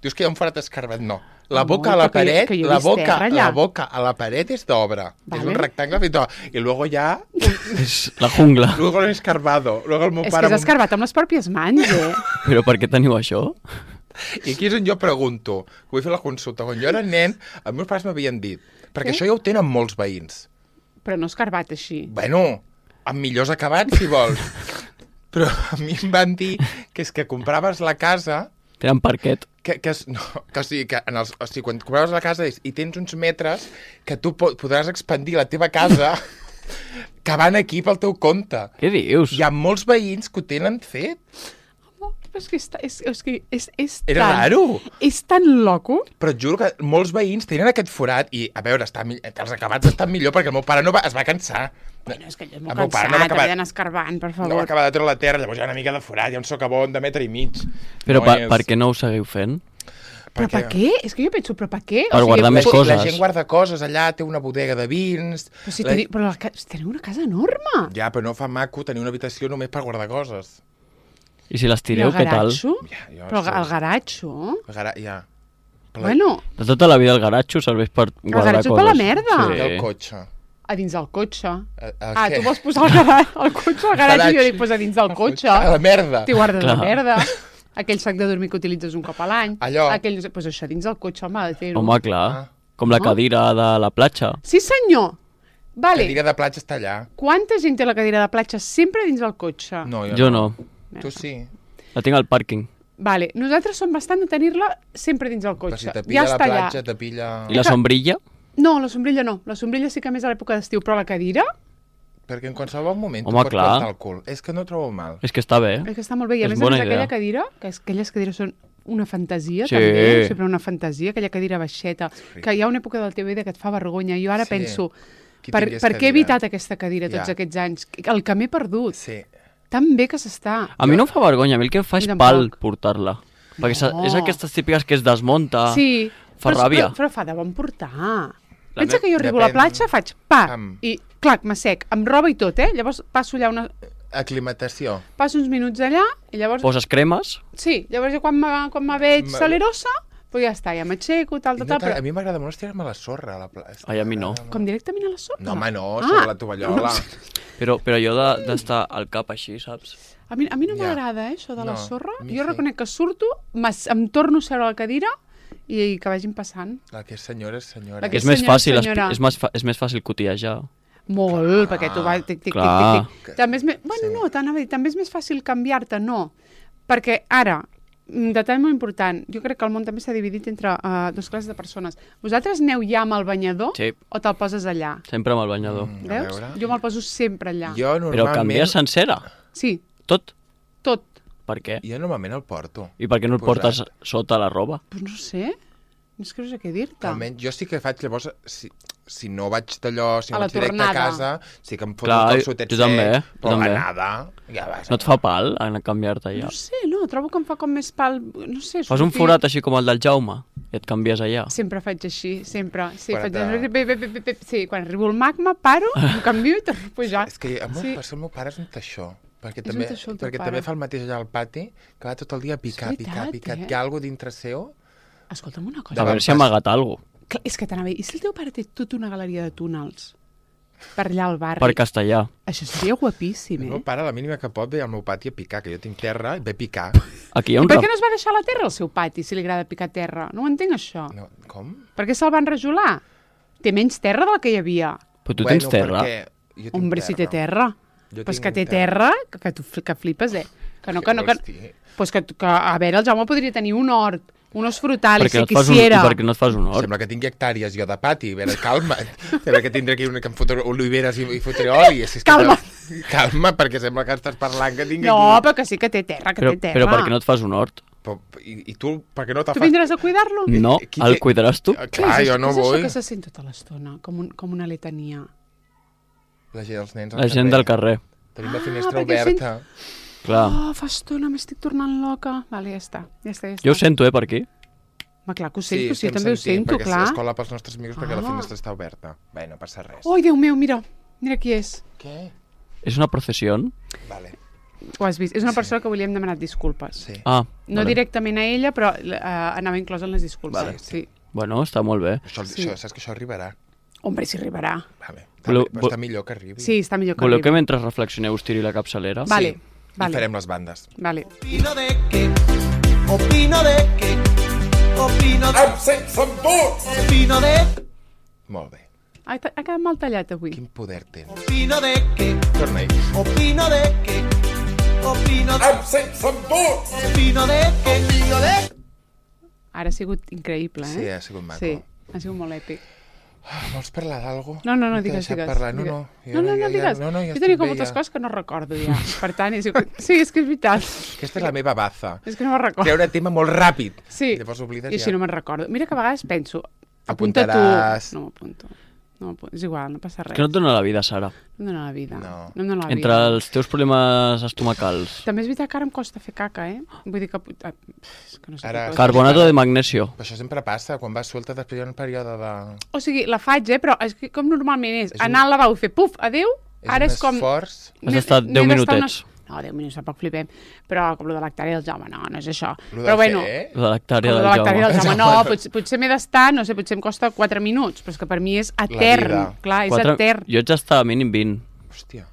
Dius que hi ha un forat escarbat, no. La No, boca a la però que jo- paret, que jo he la vist boca, terra allà. la boca a la paret és d'obra. Vale. És un rectangle fet d'obra. I luego ja... És la jungla. Luego lo he escarbado. Luego el meu És que pare... és escarbat amb les pròpies mans, Però per què teniu això? I aquí és on jo pregunto, que vull fer la consulta. Quan jo era nen, els meus pares m'havien dit, perquè això ja ho tenen molts veïns. Però no escarbat així. Bueno, amb millors acabats, si vols. Però a mi em van dir que és que compraves la casa... Tenen parquet. o sigui, quan compraves la casa i tens uns metres que tu podràs expandir la teva casa que van aquí pel teu compte. Què dius? Hi ha molts veïns que ho tenen fet. Però és que és Era tan... raro. És tan loco. Però et juro que molts veïns tenen aquest forat i, a veure, els acabats estan millor perquè el meu pare es va cansar. Bueno, és que allò és El molt meu pare cansat, no va acabar- havia d'anar escarbant, per No va favor. acabar de treure la terra, llavors hi ha una mica de forat, hi ha un socavón de metre i mig. Però No és- per què no ho seguiu fent? Però per què? És que jo penso, però per què? Per guardar més La coses. gent guarda coses allà, té una bodega de vins... Però si teniu una casa enorme. Ja, però no fa maco tenir una habitació només per guardar coses. I si les I tireu, el què tal? garatxo? Ja, jo Però sé. el garatxo? Ja. Bueno, De tota la vida el garatxo serveix per guardar garatxo és coses. per la merda. I el cotxe. A dins del cotxe. Què? Tu vols posar el cotxe al garatge i jo dic posa dins del cotxe. A la merda. T'hi guardes la merda. Aquell sac de dormir que utilitzes un cop a l'any. Allò. Pues això dins del cotxe, home, ha de fer-ho. Home, clar. Com la cadira de la platja. Sí, senyor. La Vale. cadira de platja està allà. Quanta gent té la cadira de platja sempre dins del cotxe? No, Jo no. Tu sí. La tinc al pàrquing. Vale, nosaltres som bastant de tenir-la sempre dins del Però cotxe. si te pilla la està platja, allà. te pilla... I la sombrilla? No, la sombrilla no. La sombrilla sí que més a l'època d'estiu, però la cadira Perquè en qualsevol moment Home, tu pots clar. plantar el cul. És que no ho trobo mal. És que està bé. és que està molt bé. I a És més bona a més aquella idea. cadira, que aquelles cadires són una fantasia, Sí. també, sempre una fantasia, aquella cadira baixeta, que hi ha una època del teu vida que et fa vergonya. Jo ara Sí. penso, Qui per tingués què he cadira? evitat aquesta cadira tots Ja. aquests anys? El que m'he perdut. Sí. Tan bé que s'està. A mi no em fa vergonya, a mi el que em fa és Mi tampoc. pal portar-la. Perquè No. és aquestes típiques que es desmunta. Sí, Fa ràbia. Però fa de bon portar. La Pensa que jo arribo a la depèn- platja, faig pa, Am. i clac, m'assec, amb roba i tot, Llavors passo allà Aclimatació. passo uns minuts allà, i llavors... Poses cremes, Sí, llavors jo quan me veig Ma- salerosa, pues ja està, ja m'aixeco, tal, I tal, no però... a mi m'agrada molt estirar-me a la sorra. A la Ai, a mi no. Com directament a la sorra? No, home, no, sobre la tovallola. però jo d'estar al cap així, saps? A mi no Ja. m'agrada, això de la No, sorra. a mi Jo sí. reconec que surto, em torno a seure a la cadira i que vagin passant. La que és senyora és senyora. La que És més senyora, fàcil, senyora. és més fàcil cotillejar. Molt, perquè tu vas... Clar. També és més... Bueno, no, t'anava a dir, també és més fàcil canviar-te, no. Perquè ara, detall molt important, jo crec que el món també s'ha dividit entre dues classes de persones. Vosaltres aneu ja amb el banyador Sí. o te'l poses allà? Sempre amb el banyador. A Veus? veure. Jo me'l poso sempre allà. Jo Però normalment... canvies sencera, Sí, tot. tot. Per què? Jo normalment el porto. I per què no el Posat. portes sota la roba? Pues no sé, no és que no sé què dir-te. Almenys jo sí que faig, llavors, si no vaig d'allò, si A no la vaig directe a tornada. casa, sí que em foto Clar, el calçotet jo també, sec, jo però també. l'anada, ja vas. No et fa pal en canviar-te allà? No sé, no, trobo que em fa com més pal... No sé, Fas un sortir- forat així com el del Jaume i et canvies allà. Sempre faig així, sempre. Sí, Quan faig... Sí, quan arribo al magma, paro, em canvio i torno a pujar. És que el meu, Sí. el meu pare és un teixó. Perquè, És també, un teixó el teu perquè pare. també fa el mateix allà al pati, que va tot el dia a picar, És picar, veritat, picar. eh? Hi ha alguna dintre seu? Escolta'm una A cosa. veure si ha amagat alguna cosa. Clar, és que t'anava a dir, i si el teu pare té tota una galeria de túnels per allà al barri? Per castellà. Això seria guapíssim, El meu eh? pare, a la mínima que pot, ve al meu pati a picar, que jo tinc terra, i ve a picar. Aquí hi ha I un... per què no es va deixar a la terra el seu pati, si li agrada picar terra? No ho entenc, això. No, com? Per què se'l van rajolar? Té menys terra de la que hi havia. Però tu tens terra. perquè jo tinc Hombre, si té terra. Jo Pues tinc que té terra, que flipes, eh? Que no, que no, que... vols dir? Pues que, a veure, el Jaume podria tenir un hort, unos frutales, Perquè no si et fas un, quisiera. perquè no et fas un hort. Sembla que tingui hectàrees jo de pati. A veure, calma't. Sembla que tindré aquí una que em fotré oliveres i fotré oli. Si és que Calma't. Calma, perquè sembla que estàs parlant que tingui... No, però que sí que té terra, que té terra. Però per què no et fas un hort? I tu, per què no te'l Tu fas? vindràs a cuidar-lo? No, Qui el té- cuidaràs tu? Clar, jo no Què és vull. això que se sent tota l'estona? Com una letania. La gent, els nens al La gent del carrer. Tenim la finestra perquè oberta. Clar. Oh, fa estona, m'estic tornant loca. Vale, ja està, ja està, ja està. Jo ho sento, per aquí. Ma, clar que ho sento, sí, estem també ho sentint, sento, perquè clar. és escola pels nostres amics perquè la Ah. finestra està oberta. Bé, no passa res. Ai, Déu meu, mira qui és. Què? És una processió? Vale, Ho has vist? És una persona que avui li hem demanat disculpes. sí. Ah, No vale. directament a ella, però anava inclòs en les disculpes. Vale, sí. Bueno, està molt bé. Això, saps que això arribarà. Hombre, si arribarà. Vale. Voleu- Però està millor que arribi. Sí, està millor que Voleu que arribi. mentre reflexioneu us tiri la capçalera? Vale, Sí. I vale, farem les bandes. vale. Opino de que, opino de que, opino de, Absents amb tots! opino de, Molt bé. Ha quedat mal tallat avui. Quin poder tens. opino de que, Torna-hi. opino de que, opino de, Absents amb tots! opino de que, opino de. Ara ha sigut increïble, eh? Sí, ha sigut maco. Sí, ha sigut molt èpic. Vols parlar d'algo? No, T'he digues, deixat digues. Parlar. No, digues. no. Digues. No, ja jo tenia estic com bé, moltes ja. coses que no recordo ja. Per tant, sí, és que és veritat. Aquesta és la meva baza. És que no me'n recordo. Treure tema molt ràpid. Sí, Llavors oblides i així ja. no me'n recordo. Mira que a vegades penso, apunta Apuntaràs. tu. No m'apunto. No, és igual, no passa És res. que no et dona la vida, Sara. No em dona la vida. No. No em dona la Entre vida. els teus problemes estomacals. També és veritat que ara em costa fer caca, eh? Vull dir que... És que no sé Ara- què cosa. Carbonato de magnesio. Però això sempre passa. Quan vas suelta després hi ha un període de... O sigui, la faig, però és que com normalment és És anar al lavabo i fer puf, adéu, ara és com... esforç. Has estat 10 n'he d'estar minutets. No, 10 minuts tampoc flipem. Però com lo de l'hectàrea del Jaume, no és això. Lo Però de bueno, què? De l'hectàrea com lo del de l'hectàrea Jaume. del Jaume. No, potser m'he d'estar, no sé, potser em costa 4 minuts, però és que per mi és etern. vida. Clar, és etern. Jo haig d'estar a mínim 20, Hòstia.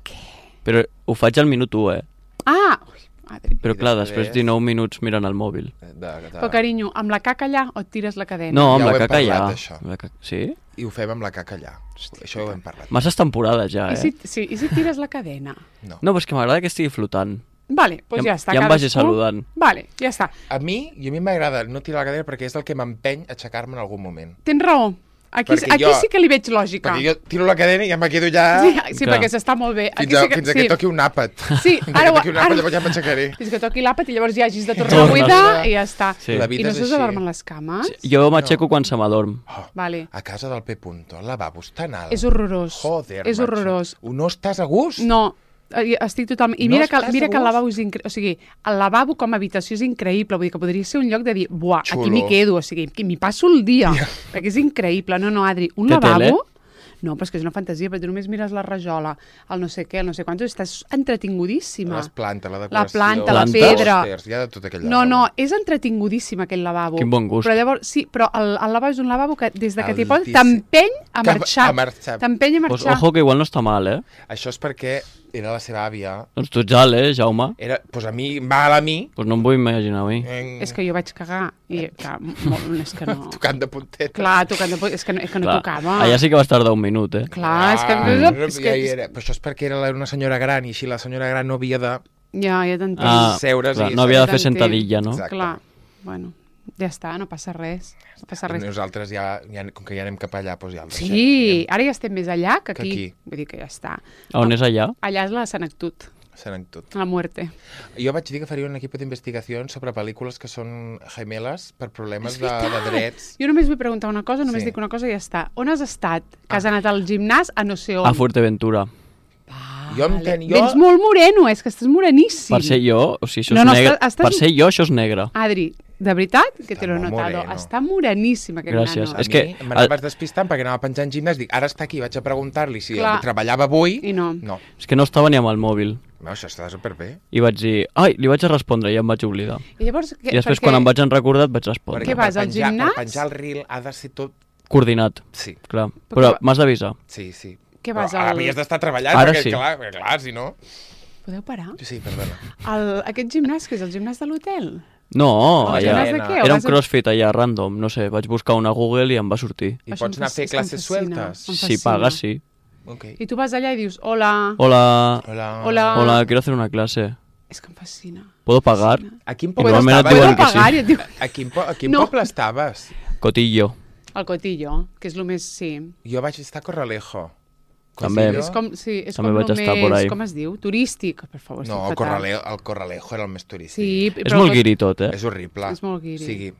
però ho faig al minut 1, Ah! Ui, madre. Però I clar, després- després 19 minuts mirant el mòbil. Però, carinyo, amb la caca allà o et tires la cadena? No, amb Ja ho la hem caca ja. parlat, això. Amb la caca... Sí? I ho fem amb la caca allà. Això ho hem parlat. Masses temporades ja, I eh? si et tires la cadena? No. No, però és que m'agrada que estigui flotant. Vale, doncs ja està. Ja em vagi cadascú- saludant. Vale, ja està. A mi m'agrada no tirar la cadena perquè és el que m'empeny a aixecar-me en algun moment. Tens raó. Aquí Perquè jo, sí que li veig lògica. Perquè jo tiro la cadena i ja me quedo ja... Sí, Clar. perquè s'està molt bé. Fins, fins que toqui un àpat. Sí, Fins ara que toqui un àpat, ara- llavors ja m'aixecaré. Fins que toqui l'àpat i llavors ja hagis de tornar a Tornes. buidar i ja està. Sí. La I vida no és s'us així. adormen les cames? Jo m'aixeco quan se m'adorm. Oh, Vale. a casa del P. El lavabo està alt. És horrorós. Joder, És macho. horrorós. No estàs a gust? No, estic totalment... I No mira, estàs mira a que el gust? lavabo és increïble. O sigui, el lavabo com a habitació és increïble. Vull dir que podria ser un lloc de dir, buah, Xulo. aquí m'hi quedo. O sigui, que m'hi passo el dia. Perquè és increïble. No, Adri, un Té lavabo... tele? No, però és que és una fantasia, perquè tu només mires la rajola, el no sé què, el no sé quants, estàs entretingudíssima. Les plantes, la decoració... planta, la pedra. Pòsters, hi ha de tot aquell No, lavabo. no, és entretingudíssim aquell lavabo. Quin bon gust. Però llavors, sí, però el lavabo és un lavabo que des de que t'hi poses Altíssim. t'empeny a Cap- marxar. a marxar. T'empeny a Pues, marxar. ojo, que igual no està mal, eh? Això és perquè era la seva àvia. Doncs tu ets alt, Jaume? Era, pues a mi, mal a mi, Pues no em vull imaginar a mi. És que jo vaig cagar i clar, és que no... tocant de punteta. Clar, tocant de... és que no Clar, tocava. allà sí que vas tardar un minut, eh? Clar, és que... Ja hi era. Però això és perquè era una senyora gran i així la senyora gran no havia de... Ja t'entenc. Seure's clar, i- no havia de fer T'entenc. sentadilla, no? Exacte. Clar, bueno, ja està, no passa res. No passa I res. nosaltres ja, com que ja anem cap allà, doncs ja el deixem. Sí, ara ja estem més allà que Que aquí. aquí. Vull dir que ja està. A on és allà? Allà és la senectut, Serem tot. la muerte. Jo vaig dir que faria un equip d'investigació sobre pel·lícules que són gemeles per problemes de drets. Jo només vull preguntar una cosa, només Sí. dic una cosa i ja està. On has estat? Que has anat al gimnàs a no sé on. A Fuerteventura. Jo entenc, jo... Vens molt moreno, és que estàs moreníssim. Per ser jo, o sigui, això No, és no, negre. estàs- Per ser jo, això és negre. Adri, de veritat que te Està l'ho he molt notado. moreno. Està moreníssim aquest Gràcies. nano. A És mi que- m'anaves despistant perquè anava penjant gimnàs, dic, ara està aquí, vaig a preguntar-li si Clar. treballava avui. I no. No, És que no estava ni amb el mòbil. no això està superbé. I vaig dir, ai, li vaig a respondre i em vaig oblidar. I llavors... I després, quan em vaig enrecordar, et vaig respondre. Què vas, per al penjar, gimnàs? Per penjar el reel ha de ser tot... Coordinat, Sí, clar. Però Però m'has d'avisar. sí, sí. Què vas Però al... havies d'estar treballant, Ara perquè, sí. clar, si no... Podeu parar? Sí, perdona. Aquest gimnàs, que és el gimnàs de l'hotel? No, El allà... gimnàs de què? O Era un vas a- crossfit allà, random, no sé, vaig buscar una Google i em va sortir. I Això pots em anar a fer és que em classes fascina. sueltes? Em Si fascina. pagas, sí. Ok. I tu vas allà i dius, hola, Hola, Hola. Hola. hola, quiero hacer una clase. és que em fascina. ¿Puedo pagar? A quin I poble normalment et estaves? diuen Puedo que sí. pagar? I et diu... A quin No. poble estaves? Cotillo. El Cotillo, que és el més... Sí. Jo vaig estar a Corralejo. També. Cotillo? És com, sí, és També com vaig el estar més... por ahí. Com es diu? Turístic. Per favor, No, estic fatal. el Corralejo era el més turístic. Sí, És molt guiri tot, eh? És horrible. És molt guiri. O sigui,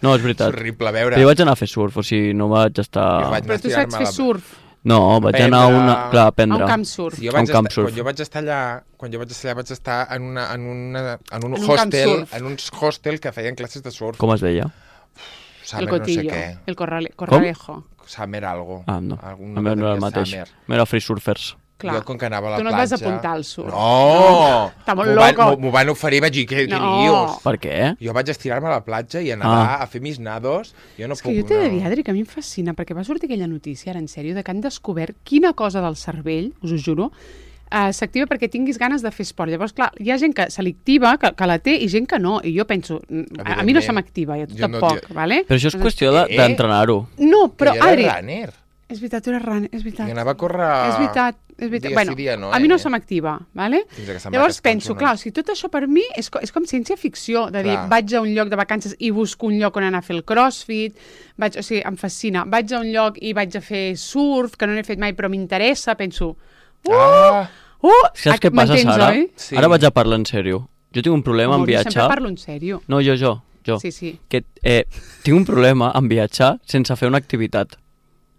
No, és és veritat. horrible. A veure, Però jo vaig anar a fer surf, o sigui, no vaig Jo estar... vaig- Però tu estirar-me saps fer la- surf No, vaig anar a una... Clar, a a aprendre. un camp surf. jo a un vaig camp estar, surf. quan jo vaig estar allà, vaig estar en un un camp hostel, surf. en un hostel que feien classes de surf. Com es deia? El Summer no sé Cotillo, què. el Corralejo. Summer algo. Ah, no. Algun A mi no era el devia mateix. Summer. M'era free surfers. Clar. Jo, com que anava a la Tu no et platja... vas apuntar al surf. No! Està molt M'ho van- loco. M'ho van oferir, vaig dir, què No. dius? Per què? Jo vaig estirar-me a la platja i anar a fer mis nados. Jo no És puc... que jo t'he de no. dir, Adri, que a mi em fascina, perquè va sortir aquella notícia, ara en sèrio, de que han descobert quina cosa del cervell, us ho juro, s'activa perquè tinguis ganes de fer esport. Llavors, clar, hi ha gent que se l'activa, que la té, i gent que no. I jo penso, a mi no se m'activa, i a tu Jo no, tampoc, tio. vale? Però això és Doncs- qüestió d'entrenar-ho. No, però, Que jo era Adri, runner. és veritat, tu eres runner, és veritat. I anava a córrer... És veritat, és veritat. Dia Bueno, sí, dia no, a mi no eh? se m'activa, vale? Fins que se'n va Llavors cascar penso, uns clar, o ones. sigui, tot això per mi és com ciència-ficció, de dir, Clar. vaig a un lloc de vacances i busco un lloc on anar a fer el crossfit, o sigui, em fascina. Vaig a un lloc i vaig a fer surf, que no n'he fet mai, però m'interessa, penso, Saps què passa, m'entens, Sara? oi? Sí. Ara vaig a parlar en sèrio. Jo tinc un problema en Amor, jo viatjar... sempre parlo en sèrio. No, jo. Sí, sí. Que tinc un problema en viatjar sense fer una activitat.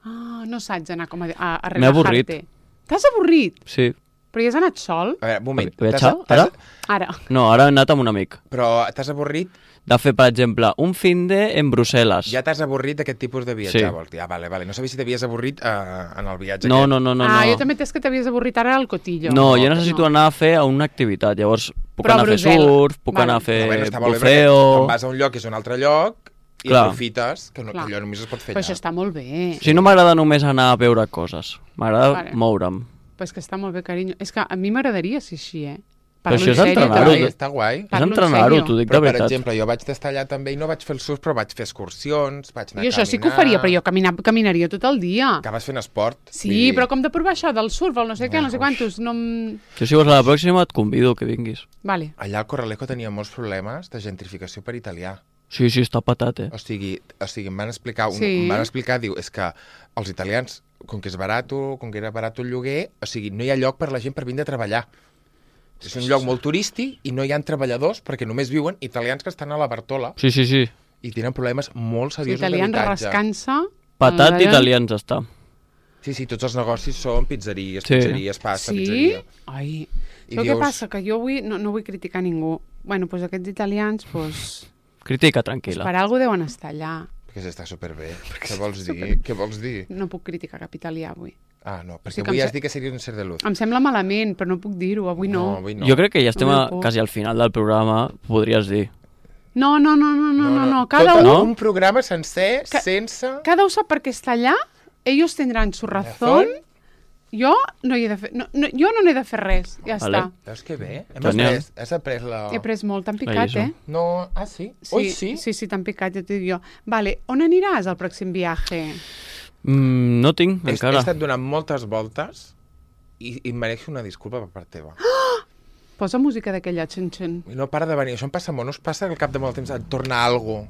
Ah, no saps anar com a M'he avorrit. relajarte. T'has avorrit? Sí. Però ja has anat sol? A veure, un moment. Viatjar? Ara? Ara. No, ara he anat amb un amic. Però t'has avorrit? De fer, per exemple, un fin de en Brussel·les. Ja t'has avorrit d'aquest tipus de viatjar, Sí. vols dir? Ah, vale. No sabia si t'havies avorrit en el viatge No, aquest. no, no, no. Jo no. també t'és que t'havies avorrit ara al Cotillo. No, jo necessito anar a fer una activitat. Llavors, puc Però a anar a fer Brussel·les. surf, puc Vale. anar a fer Però bueno, està molt bé perquè buceo... quan vas a un lloc és un altre lloc i Clar. aprofites, que Clar. allò només es pot fer Però allà. això està molt bé. Si no m'agrada només anar a veure coses, m'agrada Vale. moure'm. Però és que està molt bé, carinyo. És que a mi m'agradaria ser així, Però això en és sèrio, entrenar-ho, també. Està guai. És Parlo en entrenar-ho, sèrio. t'ho dic de Però, per veritat. exemple, jo vaig estar allà també i no vaig fer el surf, però vaig fer excursions, vaig anar Jo a això sí que ho faria, però jo caminaria tot el dia. Acabes fent esport. Sí, però com de provar això del surf, el no sé què, no sé Uf. quantos, no... Jo si vols a la pròxima et convido que vinguis. Vale. Allà al Corralejo tenia molts problemes de gentrificació per italià. Sí, sí, està patat, O sigui em van explicar, Sí. em van explicar, diu, és que els italians, com que és barat, com que era barat el lloguer, o sigui, no hi ha lloc per la gent per vindre a treballar. És un lloc molt turístic i no hi ha treballadors perquè només viuen italians que estan a la Bartola Sí, sí, sí. i tenen problemes molt Els seriosos italians d'habitatge. rascant-se... Patat allà- italians està. Sí, sí, tots els negocis són pizzeries, Sí. pizzeries, pasta, Sí? pizzeria. Ai, I saps què dius- passa? Que jo avui no vull criticar ningú. Bueno, doncs aquests italians, doncs... Critica, Per tranquil·la. alguna deuen estar allà. Perquè està superbé. Què vols dir? Què vols dir? No puc criticar cap italià avui. Ah, no, perquè Sí que avui em has se- dit que seria un ser de luz. Em sembla malament, però no puc dir-ho. Avui no. avui no. Jo crec que ja estem No puc. quasi al final del programa, podries dir. No. Cada Tot un, un programa sencer, Ca- sense... cada un sap per què està allà. Ellos tendrán su razón. Jo no hi he de fer... jo no n'he de fer res. Ja Vale. està. Veus que bé? Genial. Has après la... He pres molt, t'han La picat, lliçó. eh? No, sí? Ui, sí? Sí, t'han picat, ja t'ho dic jo. Vale, on aniràs al pròxim viatge? No tinc, He encara. estat donant moltes voltes i em mereixo una disculpa per part teva. Posa música d'aquella xen-xen. I no para de venir. Això em passa molt. No us passa que al cap de molt temps et torna algo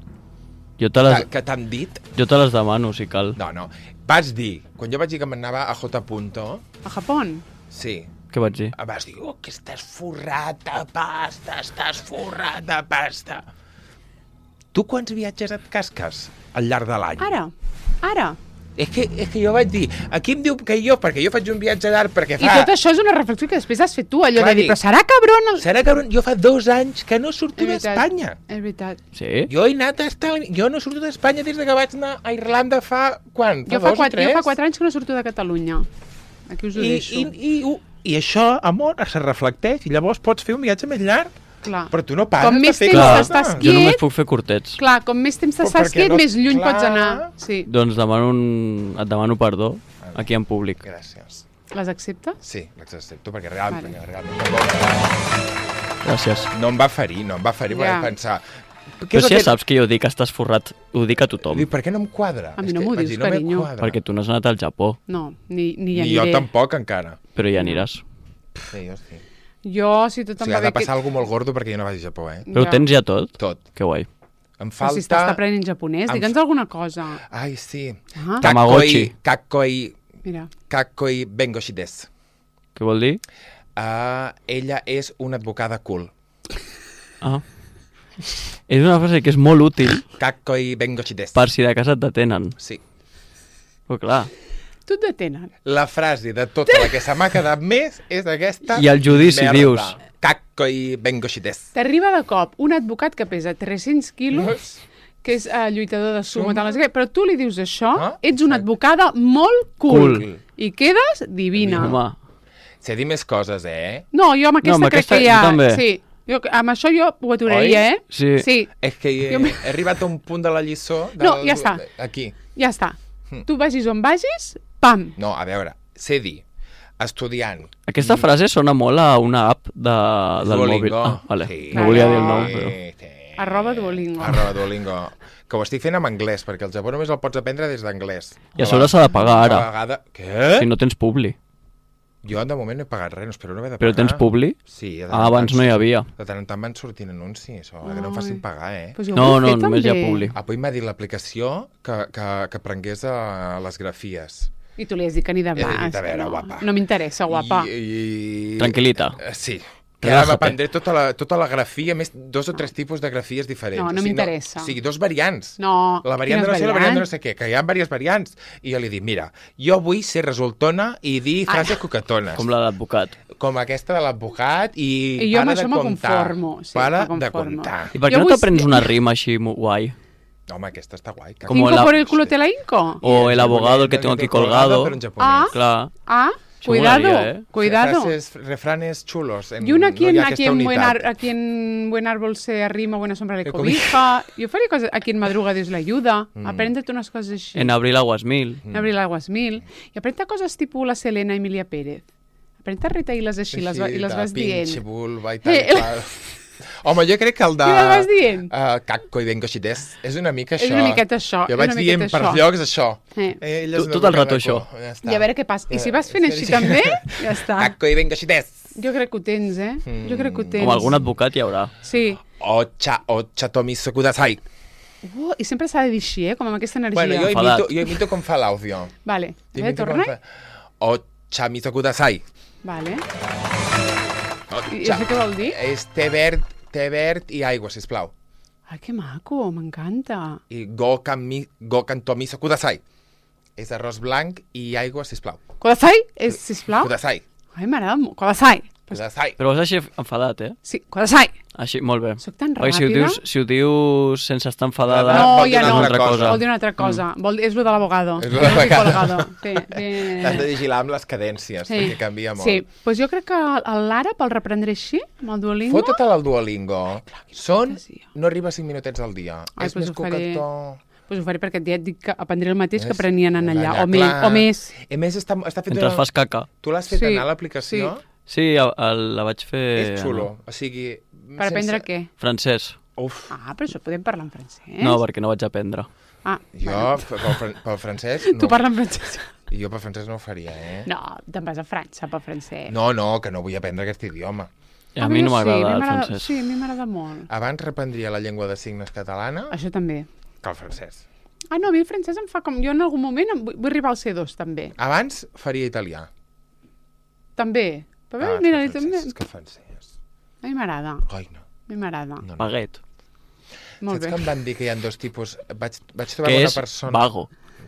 Jo te les, que t'han dit? jo te les demano, si cal. No. Vas dir, quan jo vaig dir que m'anava a J. Punto, A Japón? sí, Què vaig dir? vas dir, que estàs forrat de pasta, estàs forrat de pasta. Tu quants viatges et casques al llarg de l'any? Ara. És que jo vaig dir, aquí em diu que perquè jo faig un viatge d'art, perquè I fa... tot això és una reflexió que després has fet tu, allò Clar, de dir, dic- però serà cabron el... Serà que jo fa 2 anys que no surto És veritat, d'Espanya. És veritat. Sí? Jo he anat a estar... Jo no surto d'Espanya des de que vaig anar a Irlanda fa... Quan? Jo fa 2 o 3? 4 anys que no surto de Catalunya. Aquí us ho deixo. I això, amor, se reflecteix i llavors pots fer un viatge més llarg. Clar. Però tu no pares Com de més fer temps coses. estàs Jo només quiet, puc fer curtets. clar, com més temps Però t'estàs perquè quiet, no- més lluny clar. pots anar. Sí. Doncs et demano perdó aquí en públic. Gràcies. Les acceptes? Sí, l'accepto, perquè realment, Vale. Gràcies. no em va ferir, perquè Ja. vaig pensar... Però si ja saps que jo dic que estàs forrat, ho dic a tothom. Dic, per què no em quadra? A mi És no que m'ho vaig dius, dir, no me carinyo. quadra. Perquè tu no has anat al Japó, No, ni hi Ni jo aniré. tampoc, encara. però ja aniràs. Sí, jo sí. Jo, si tot O em sigui, va ha de bé... passar alguna molt gordo perquè jo no vaig a Japó, eh? Però ho tens ja tot? Tot. Que guai. Em Però si estàs aprenent japonès, Em- digue'ns alguna cosa. Ai, sí. Ah, Tamagotchi. mira. Kakoi Bengoshi des. Què vol dir? Ella és una advocada cool. Ah. És una frase que és molt útil Kakoi Bengoshi des. per si de casa et detenen. Sí. Però clar, Tu et detenen. La frase de tota la que se m'ha quedat més és aquesta... I al judici merda. dius. Kakoi Bengoshi des. T'arriba de cop un advocat que pesa 300 quilos, que és lluitador de sumo, tal, no sé què, però tu li dius això, Ah, ets una advocada molt cool. Cool. I quedes divina. home, Sé dir més coses, eh? No, jo amb aquesta, amb crec aquesta que ja... jo també. Sí, amb això jo ho aturaria, Oi? eh? Sí. Sí, És que he arribat a un punt de la lliçó... No, ja està. Aquí. ja està. Tu vagis on vagis, pam. No, a veure, sé dir, estudiant. Aquesta frase sona molt a una app del mòbil. Ah, vale. Sí. No volia dir el nom, però... Sí. @Duolingo. Duolingo. Que ho estic fent en anglès, perquè el Japó només el pots aprendre des d'anglès. I a sobre s'ha de pagar ara. Cada vegada... Què? Si no tens publi. Jo de moment no he pagat res, no espero no haver de Però pagar. tens publi? Sí. de tant Ah, en abans tant no hi havia. De tant en tant van sortint anuncis, o que no em facin pagar, eh? Pues jo ho No, vull no, fer, només hi ha també. publi. Avui m'ha dit l'aplicació que prengués les grafies. I tu li has dit que ni de He dit, vas. a veure, no, guapa. no m'interessa, guapa. Tranquil·lita. Sí. Que ara Relájate. m'aprendré tota la grafia, més 2 o 3 tipus de grafies diferents. No, no O sigui, m'interessa. O sigui, 2 variants. No, La variant de quines no sé, la variant de no variants? sé què, que hi ha diverses variants. I jo li dic, mira, jo vull ser resultona i dir frases coquetones. Com la d'advocat. com aquesta de l'advocat i I jo amb para de això me comptar. conformo, sí, Para me de conformo. comptar. I per què Jo no vull t'aprens ser- una rima així guai? Home, aquesta està guai. Com Inco la- por el culo te la inco. O el abogado, el que tengo aquí colgado. Però en japonès. Clar. Ah, Això cuidado, molaria, cuidado. Refranes chulos. Y una no hi ha aquesta unitat. a quien buen árbol se arrima, buena sombra le Le cobija. Yo faría cosas, a quien madruga Dios le ayuda. Apréndete unas cosas así. En abril aguas mil. En abril aguas mil. I aprenda coses tipus la Selena Emilia Pérez. Aprenda retair-les així, i les vas dient. Pinche vulva i tal i qual. Home, jo crec que el de... Què les vas dient? Cacco i dengoxites és una mica això. És una miqueta això, Jo és vaig una dient miqueta per això. llocs això. Eh. Tot el rato això. Ja està. I a veure què passa. I si vas fent així també, ja està. Cacco i dengoxites. Jo crec que ho tens, eh? Jo crec que ho tens. Com algun advocat hi haurà. Sí. Ocha tomiso kudasai. I sempre s'ha de dir així, amb aquesta energia. Bueno, Enfadat. jo imito com fa l'àudio. Vale. A Jo veure, imito com torna. fa. Ocha miso kudasai. Vale. I Ocha. això què vol dir? És té verd i aigua, sisplau. Ai, que maco, m'encanta. I go kan tomiso kudasai. És arròs blanc i aigua, sisplau. Kodasai, sisplau. Kudasai. Ai, m'agrada molt. Kodasai. Kudasai. Però vas així enfadat, eh? Sí, Kodasai. Així, molt bé. Soc tan Perquè ràpida. si ho dius sense estar enfadada, No, vol dir ja una no. altra cosa. Vol dir una altra cosa. És lo de l'abogado. És lo de l'abogado. Colgado. Sí, Has de vigilar amb les cadències, perquè canvia molt. Sí, doncs jo crec que l'àrab el reprendré així, amb el Duolingo. Fota't al Duolingo. Són... fantasia. No arriba a 5 minutets al dia. Ai, És doncs més ho faré. coquetó. Doncs ho faré perquè ja et dic que aprendré el mateix que És- aprenien en allà, allà, o més. clar. O més. A més, està fet... mentre fas caca. Tu l'has fet Sí, anar a l'aplicació? Sí, la vaig fer... És xulo. O sigui... Per aprendre què? Francès. Uf, Ah, però això podem parlar en francès. No, perquè no vaig aprendre. Ah, jo pel francès... Tu No. parles en francès. Jo pel francès no ho faria, eh? No, te'n vas a França pel francès. No, que no vull aprendre aquest idioma. I a mi no jo sí, m'agrada a mi el m'agrada- francès. Sí, a mi m'agrada molt. Abans reprendria la llengua de signes catalana Això també. que el francès. Ah, no, a mi el francès em fa com... Jo en algun moment vull arribar al C2, també. Abans faria italià. També. Però Ah, mira, és que el també... francès, és que el francès... A mi m'agrada. Ai, no. A mi m'agrada. no. Baguette. Molt Saps bé. que em van dir que hi ha dos tipus... Vaig trobar Que una és persona... vago.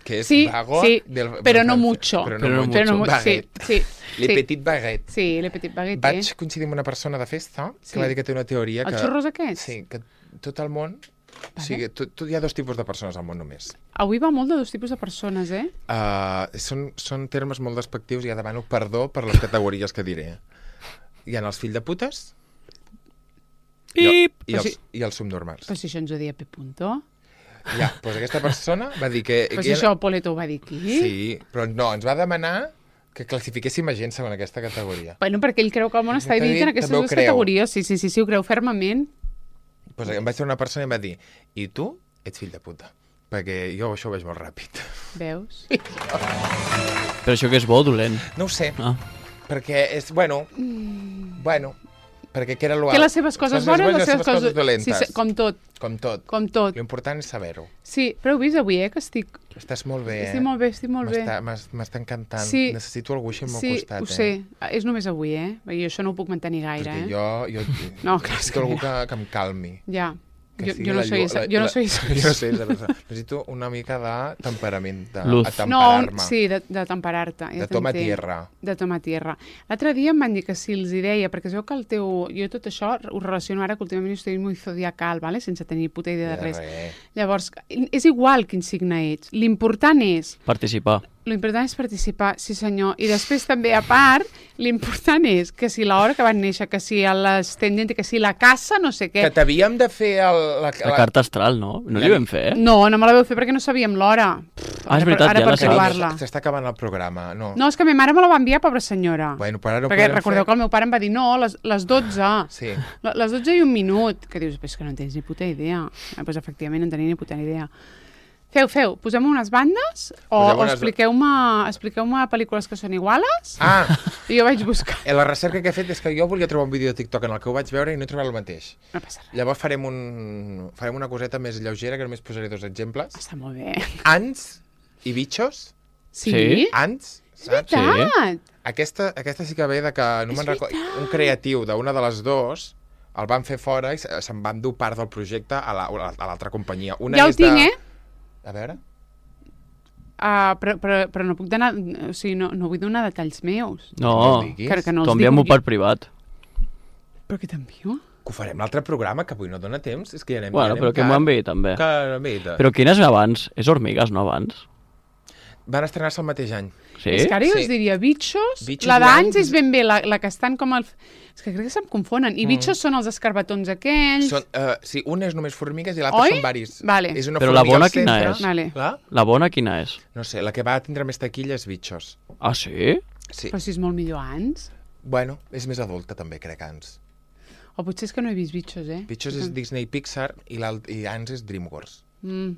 Que és Sí, vago sí, del però no francès. mucho. Però Però no no mucho. Però no, sí, Baguette. sí. Le sí. petit baguette. Sí, le petit baguette. Vaig coincidir amb una persona de festa que Sí. va dir que té una teoria que... Els xurros aquests? Sí, que tot el món... O sigui, hi ha dos tipus de persones al món només. Avui va molt de dos tipus de persones, eh? Són termes molt despectius i ja demano perdó per les categories que diré. Hi ha els fills de putes Pip! i els subnormals. Però si això ens ho deia P. Punto. Ja, doncs aquesta persona va dir que... Però que si això Poleto ho va dir aquí. Sí, però no, ens va demanar que classifiquéssim a gent segons aquesta categoria. Bueno, perquè ell creu que el món està dividit en aquestes També ho dues creu. categories. Sí, ho creu fermament. Pues em vaig fer una persona i em va dir i tu ets fill de puta. Perquè jo això ho veig molt ràpid. Veus? Però això que és bo o dolent? No ho sé, Ah. perquè és... Bueno, perquè que era l'ual. Té les seves coses bones i les seves coses dolentes. Sí, com tot, Com tot. com tot. L'important és saber-ho. Sí, però heu vist avui, que estic... Estàs molt bé, Estic molt bé, estic molt bé. M'està encantant. Sí. Necessito algú així al meu Sí, costat. ho sé. És només avui, Perquè jo això no ho puc mantenir gaire, Perquè jo No, clar, és necessito algú que- que em calmi. Ja. Que sigui Jo no la soy llu- esa. la- Jo no la- soy esa. Jo no sé, necessito una mica de temperament, de Luz. atemperar-me. Sí, de temperar-te. Ja De toma t'entenc. tierra. De toma tierra. L'altre dia em van dir que si els hi deia, perquè es veu que el teu... Jo tot això ho relaciono ara que últimament estic molt zodiacal, ¿vale? Sense tenir puta idea de res. Llavors, és igual quin signe ets. L'important és... Participar. L'important és participar, sí senyor. I després també, a part, l'important és que si l'hora que van néixer, que si l'ascendent, que si la casa, no sé què... Que t'havíem de fer La carta astral, no? No li vam fer, eh? No, no me la vau fer perquè no sabíem l'hora. Ah, és veritat, ara ja per la sabem. trobar-la. S'està acabant el programa, no? No, és que ma mare me la va enviar, pobra senyora. Bueno, però ara ho perquè podem recordeu fer. que el meu pare em va dir, no, les 12. Sí. Les 12 i un minut. Que dius, és que no en tens ni puta idea. Doncs efectivament no en tenia ni puta idea. Feu, posem unes bandes o expliqueu-me pel·lícules que són iguales Ah, i jo vaig buscar. la recerca que he fet és que jo volia trobar un vídeo de TikTok en el que ho vaig veure i no he trobat el mateix. No passa res. Llavors farem una coseta més lleugera, que només posaré 2 exemples. Està molt bé. Ants i bitxos. Sí? Sí. Ants, saps? Veritat. Aquesta sí que ve de que no me'n recordo. Un creatiu d'una de les dues el van fer fora i se'n van dur part del projecte a l'altra companyia. Una Ja ho és tinc, A veure. però no puc donar... O sigui, no vull donar detalls meus. No, Que no t'ho els enviem-ho dic. per privat. Però què t'envio? Que ho farem l'altre programa, que avui no dona temps. És que ja anem, Bueno, però que m'ho enviï també. Però... Quin és abans? És Hormigues, no abans? Van estrenar-se el mateix any. Sí? És que ara jo Sí. us diria Bitxos, Bitxos la i d'Ans Ants. és ben bé, la que estan com el... És que crec que se'm confonen. I Bitxos són els escarbatons aquells... Sí, un és només formigues i l'altre Oi? són varis. Vale. És una Però la formiga bona al quina centre. és? Vale. La? La bona quina és? No sé, la que va tindre més taquilla és Bitxos. Ah, sí? Sí. Però si és molt millor Ants. Bueno, és més adulta també, crec, Ants. O potser és que no he vist Bitxos, Bitxos és Disney Pixar i Ants és DreamWorks. Mm.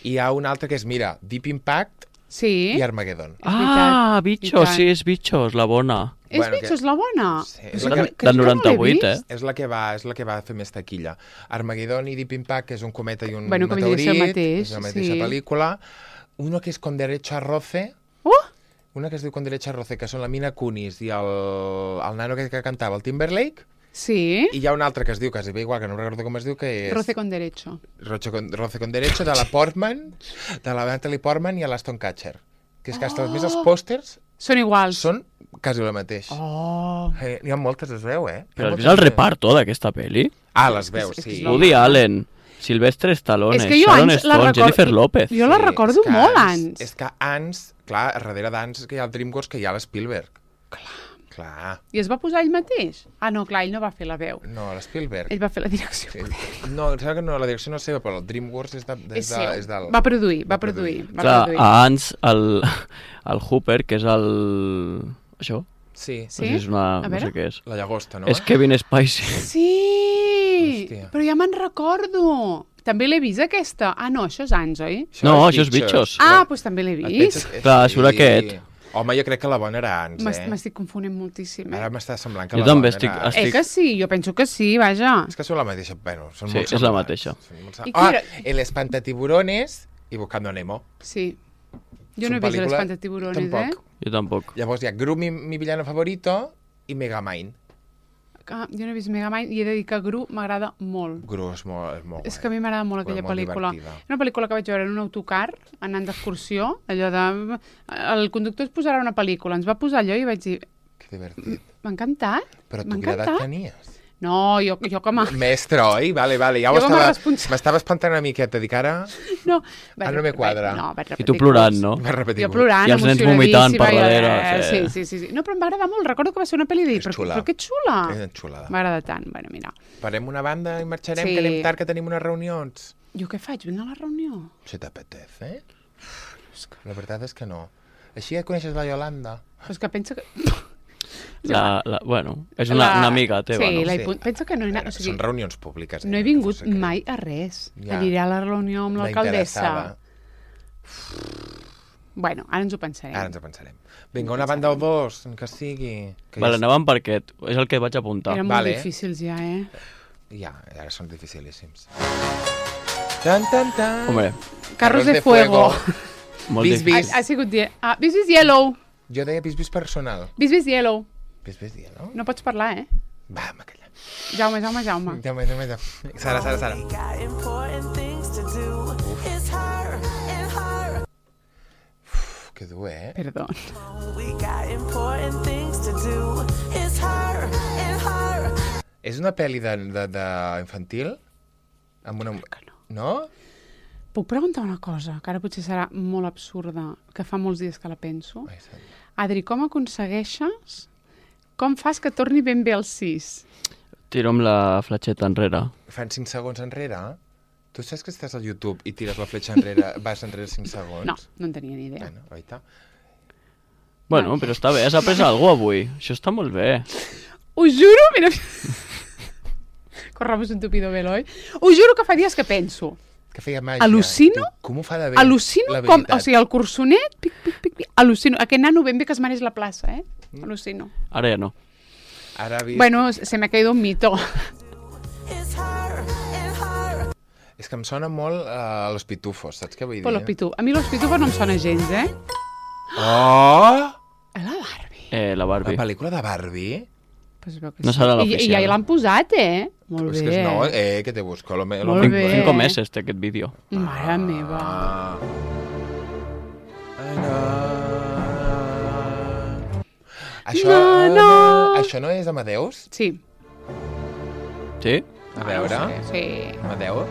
I hi ha un altre que és, mira, Deep Impact Sí. i Armageddon. Ah, veritat, Bitxos, i tant. sí, és Bitxos, la bona. És Bueno, Bitxos la bona? Sí, Però és sí la que- que- crec que no l'he 98, vist. És la que va fer més taquilla. Armageddon i Deep Impact, que és un cometa i un Bueno, que vindria a ser el meteorit, mateix, és la mateixa sí. pel·lícula. Una que és Con Derecho a Roce, una que es diu Con Derecho a Roce, que són la Mina Kunis i el nano que cantava, el Timberlake, Sí. i hi ha un altre que es diu, quasi bé igual, que no recordo com es diu, que és... Roce con derecho. Roce con Derecho, de la Portman, de la Natalie Portman i l'Aston Kutcher. Que és que hasta més els pòsters Són iguals. són quasi el mateix. Oh. N'hi ha moltes, es veu, eh? Però has vist el reparto d'aquesta pel·li? Ah, les veus, És que sí. és Woody Allen, Sylvester Stallone, És que jo Sharon Ants la Stone, recordo- Jennifer López. Jo la recordo és que molt, Ants. Ants. És que Ants, clar, a darrere d'Ants que hi ha el DreamWorks, que hi ha l'Spielberg. Clar. I es va posar ell mateix? Ah, no, clar, ell no va fer la veu. No, l'Spielberg. Ell va fer la direcció. Sí. No, em sembla que no, la direcció no és seva, però el DreamWorks és seu. del... Va produir. Clar, produir. a Ants, el Hooper, que és el... Això? Sí, Sí? No sé si és una... A no veure. sé què és. la llagosta, no? És Kevin Spacey. Sí! Hòstia. Però ja me'n recordo. També l'he vist, aquesta. Ah, no, això és Ants, oi? No, això és Bitxos. Ah, doncs també l'he Et vist. penses- Clar, surt aquest. Home, jo crec que la bona era Ants, M'estic confonent moltíssim. Ara m'està semblant que Jo la també bona estic- era Ants. estic- Que sí? Jo penso que sí, vaja. És que són la mateixa, bueno, són Sí, molt és la semblants. mateixa. Són molt I Ah, qui era? El Espantatiburones i Buscando Nemo. Sí. Jo Són no he vist pel·lícules- l'Espantatiburones, Tampoc. Jo tampoc. Llavors hi ha Gru, mi villano favorito, i Megamind. Ah, jo no he vist Megamind i he de dir que Gru m'agrada molt. Gru és molt És que a mi m'agrada molt aquella molt pel·lícula. divertida. Una pel·lícula que vaig veure en un autocar, anant d'excursió, allò de... El conductor es posarà una pel·lícula, ens va posar allò i vaig dir... Que divertit. M'ha encantat. Però M'ha tu quina edat encantat. tenies? No, jo com a... Mestre, oi? Vale, ja Jo com a responsable. m'estava espantant una miqueta, dic ara... No, Ara no me quadra. vaig I repetir tu plorant, curs. no? Vaig repetir. Jo plorant, I els nens vomitant per darrere, Sí. No, però em va agradar molt. Recordo que va ser una pel·li de dir, És però, xula. però que xula. És xulada. M'agrada tant. Bueno, mira. Farem una banda i marxarem, Sí. que anem tard, que tenim unes reunions. Jo què faig? Vinc a la reunió? Se t'apetece, eh? La veritat és que no. Així ja coneixes la Yolanda. Però és que pensa que... Bueno, és una amiga teva, sí, no? Pensa que no he anat... O sigui, Són reunions públiques. no he vingut mai a res. Ja. Aniré a la reunió amb La l'alcaldessa. interessada. Bueno, ara ens ho pensarem. Ara ens ho pensarem. Vinga, una banda o dos, que sigui... Que Vale, ja... anàvem per aquest. És el que vaig apuntar. Eren molt Vale. difícils ja, eh? Ja, ara són dificilíssims. Tan, tan, tan. Hombre, Carros de fuego. molt Vis, difícil. vis. Ha sigut... Vis Yellow. Jo deia vis personal. Vis Yellow. Vis dia, no? No pots parlar, eh? Va, m'acalla. Jaume. Jaume. Sara. Got important things to do. It's her and her. Uf, que dur, eh? Perdó. We got important things to do. It's her and her. És una pel·li de infantil? Amb una... No? Puc preguntar una cosa, que ara potser serà molt absurda, que fa molts dies que la penso. Ai, sant. Adri, com aconsegueixes... Com fas que torni ben bé al 6? Tiro amb la fletxeta enrere. Fan 5 segons enrere? Tu saps que estàs al YouTube i tires la fletxa enrere, vas enrere 5 segons? No, no en tenia ni idea. Bueno, oita. Bueno, però està bé, has après alguna cosa avui. Això està molt bé. Us juro, mira... Corramos un tupido velo, oi? Us juro que fa dies que penso. Que feia màgia. Al·lucino? Tu, com ho fa de bé? Al·lucino la com... veritat. O sigui, el cursonet, pic, al·lucino. Aquest nano ben bé que es mereix la plaça, eh? Al·lucino. Ara ja no. Ara ha vist... Bueno, se me ha caído un mito. It's her and her. És que em sona molt Los Pitufos, saps què vull dir? Però los pitufos. A mi los pitufos no em sona gens, eh? Oh! La Barbie. La La Barbie. pel·lícula de Barbie? Pues veu que No sí. serà I l'oficial. ja l'han posat, eh? Molt És bé. que no, que te busco. Molt bé. 5 meses té aquest vídeo. Mare meva. Ah. Això no és Amadeus? Sí. Sí? A veure. Sí. Amadeus?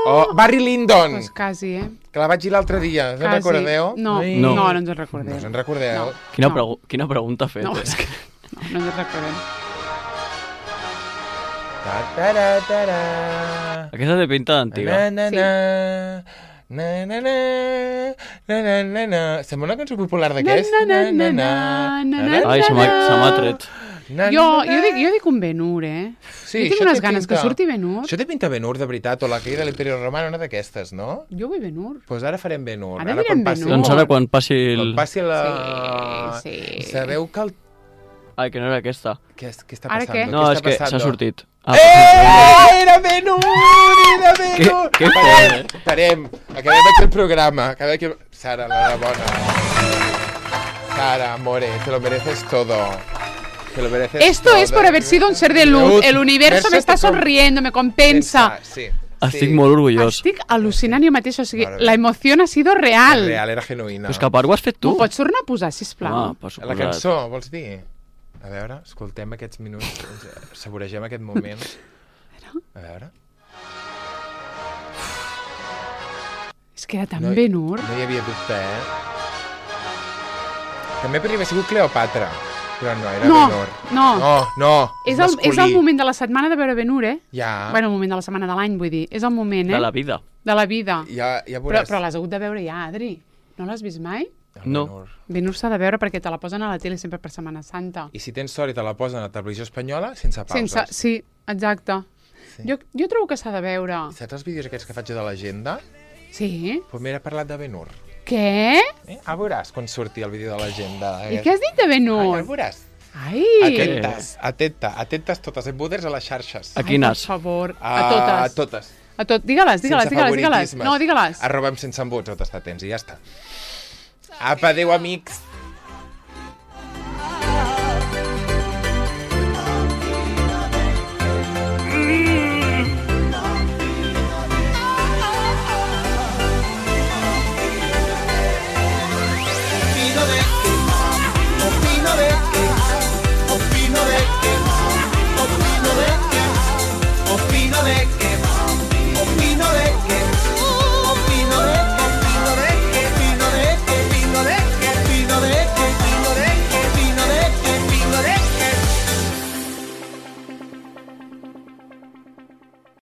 Oh, Barry Lyndon! Pues quasi, Que la vaig dir l'altre dia. Us en Quasi. recordeu? No, Ai. no ens en recordem. No us en recordeu? No. Quina pregunta ha fet? No, és que no ens en recordem. Ta-ta-ra-ta-ra. Aquesta té pinta d'antiga. Na-na-na. Na-na-na. Na-na-na. Sembla una cançó popular d'aquest. Na-na-na-na-na. Ai, se m'ha tret. Jo dic un Ben-Hur, Sí, jo tinc això unes té ganes pinta. que surti Ben-Hur. Això té pinta Ben-Hur, de veritat, o la caïda de l'Imperi Romano, una d'aquestes, no? Jo vull Ben-Hur. Doncs ara farem Ben-Hur. Ara direm quan passi- Ben-Hur. Doncs ara quan passi Quan el... passi la... Sí. Sabeu que el... Ai, que no era aquesta. Què està Ara passant? què? No, és que s'ha sortit. Era Ben-Hur! Era Ben-Hur! Què Parem. Acabem aquí el programa. Sara, l'enhorabona. Sara, amore, te lo mereces todo. Te lo mereces Esto todo. es por haber sido un ser de luz. El universo me está sonriendo, me compensa. Sí. Estic molt orgullós. Estic al·lucinant jo mateix, o sigui, Mare meva. la emoció ha sido real. Real, era genuïna. Però és que a part ho has fet tu. M'ho pots tornar a posar, sisplau? Ah, per La suposat. cançó, vols dir? A veure, escoltem aquests minuts, saboregem aquest moment. A veure. És que era tan No, Ben-Hur. No hi havia dubte, També podria haver sigut Cleopatra, però no, era No, Ben-Hur. no. És masculí. el moment de la setmana de veure Ben-Hur, Ja, Bueno, el moment de la setmana de l'any, vull dir. És el moment, De la vida. De la vida. ja Però veuràs. l'has hagut de veure ja, Adri. No l'has vist mai? El No. Ben-Hur. Ben-Hur s'ha de veure perquè te la posen a la tele sempre per Setmana Santa. I si tens sort i te la posen a la televisió espanyola, sense pauses. Sí, exacte. Sí. Jo trobo que s'ha de veure. Saps els vídeos aquests que faig de l'agenda? Sí? Doncs m'he parlat de Ben-Hur. Què? Veuràs quan surti el vídeo de l'agenda. I què has dit de Ja Ben-Hur? el veuràs. Ai! Atentes totes, buders a les xarxes. A quines? Per favor, a totes. A totes. A tot. Digue-les. Sense favoritismes. No, digue-les. @senseembuts, tot està tens i ja està. Apa, adéu, amics.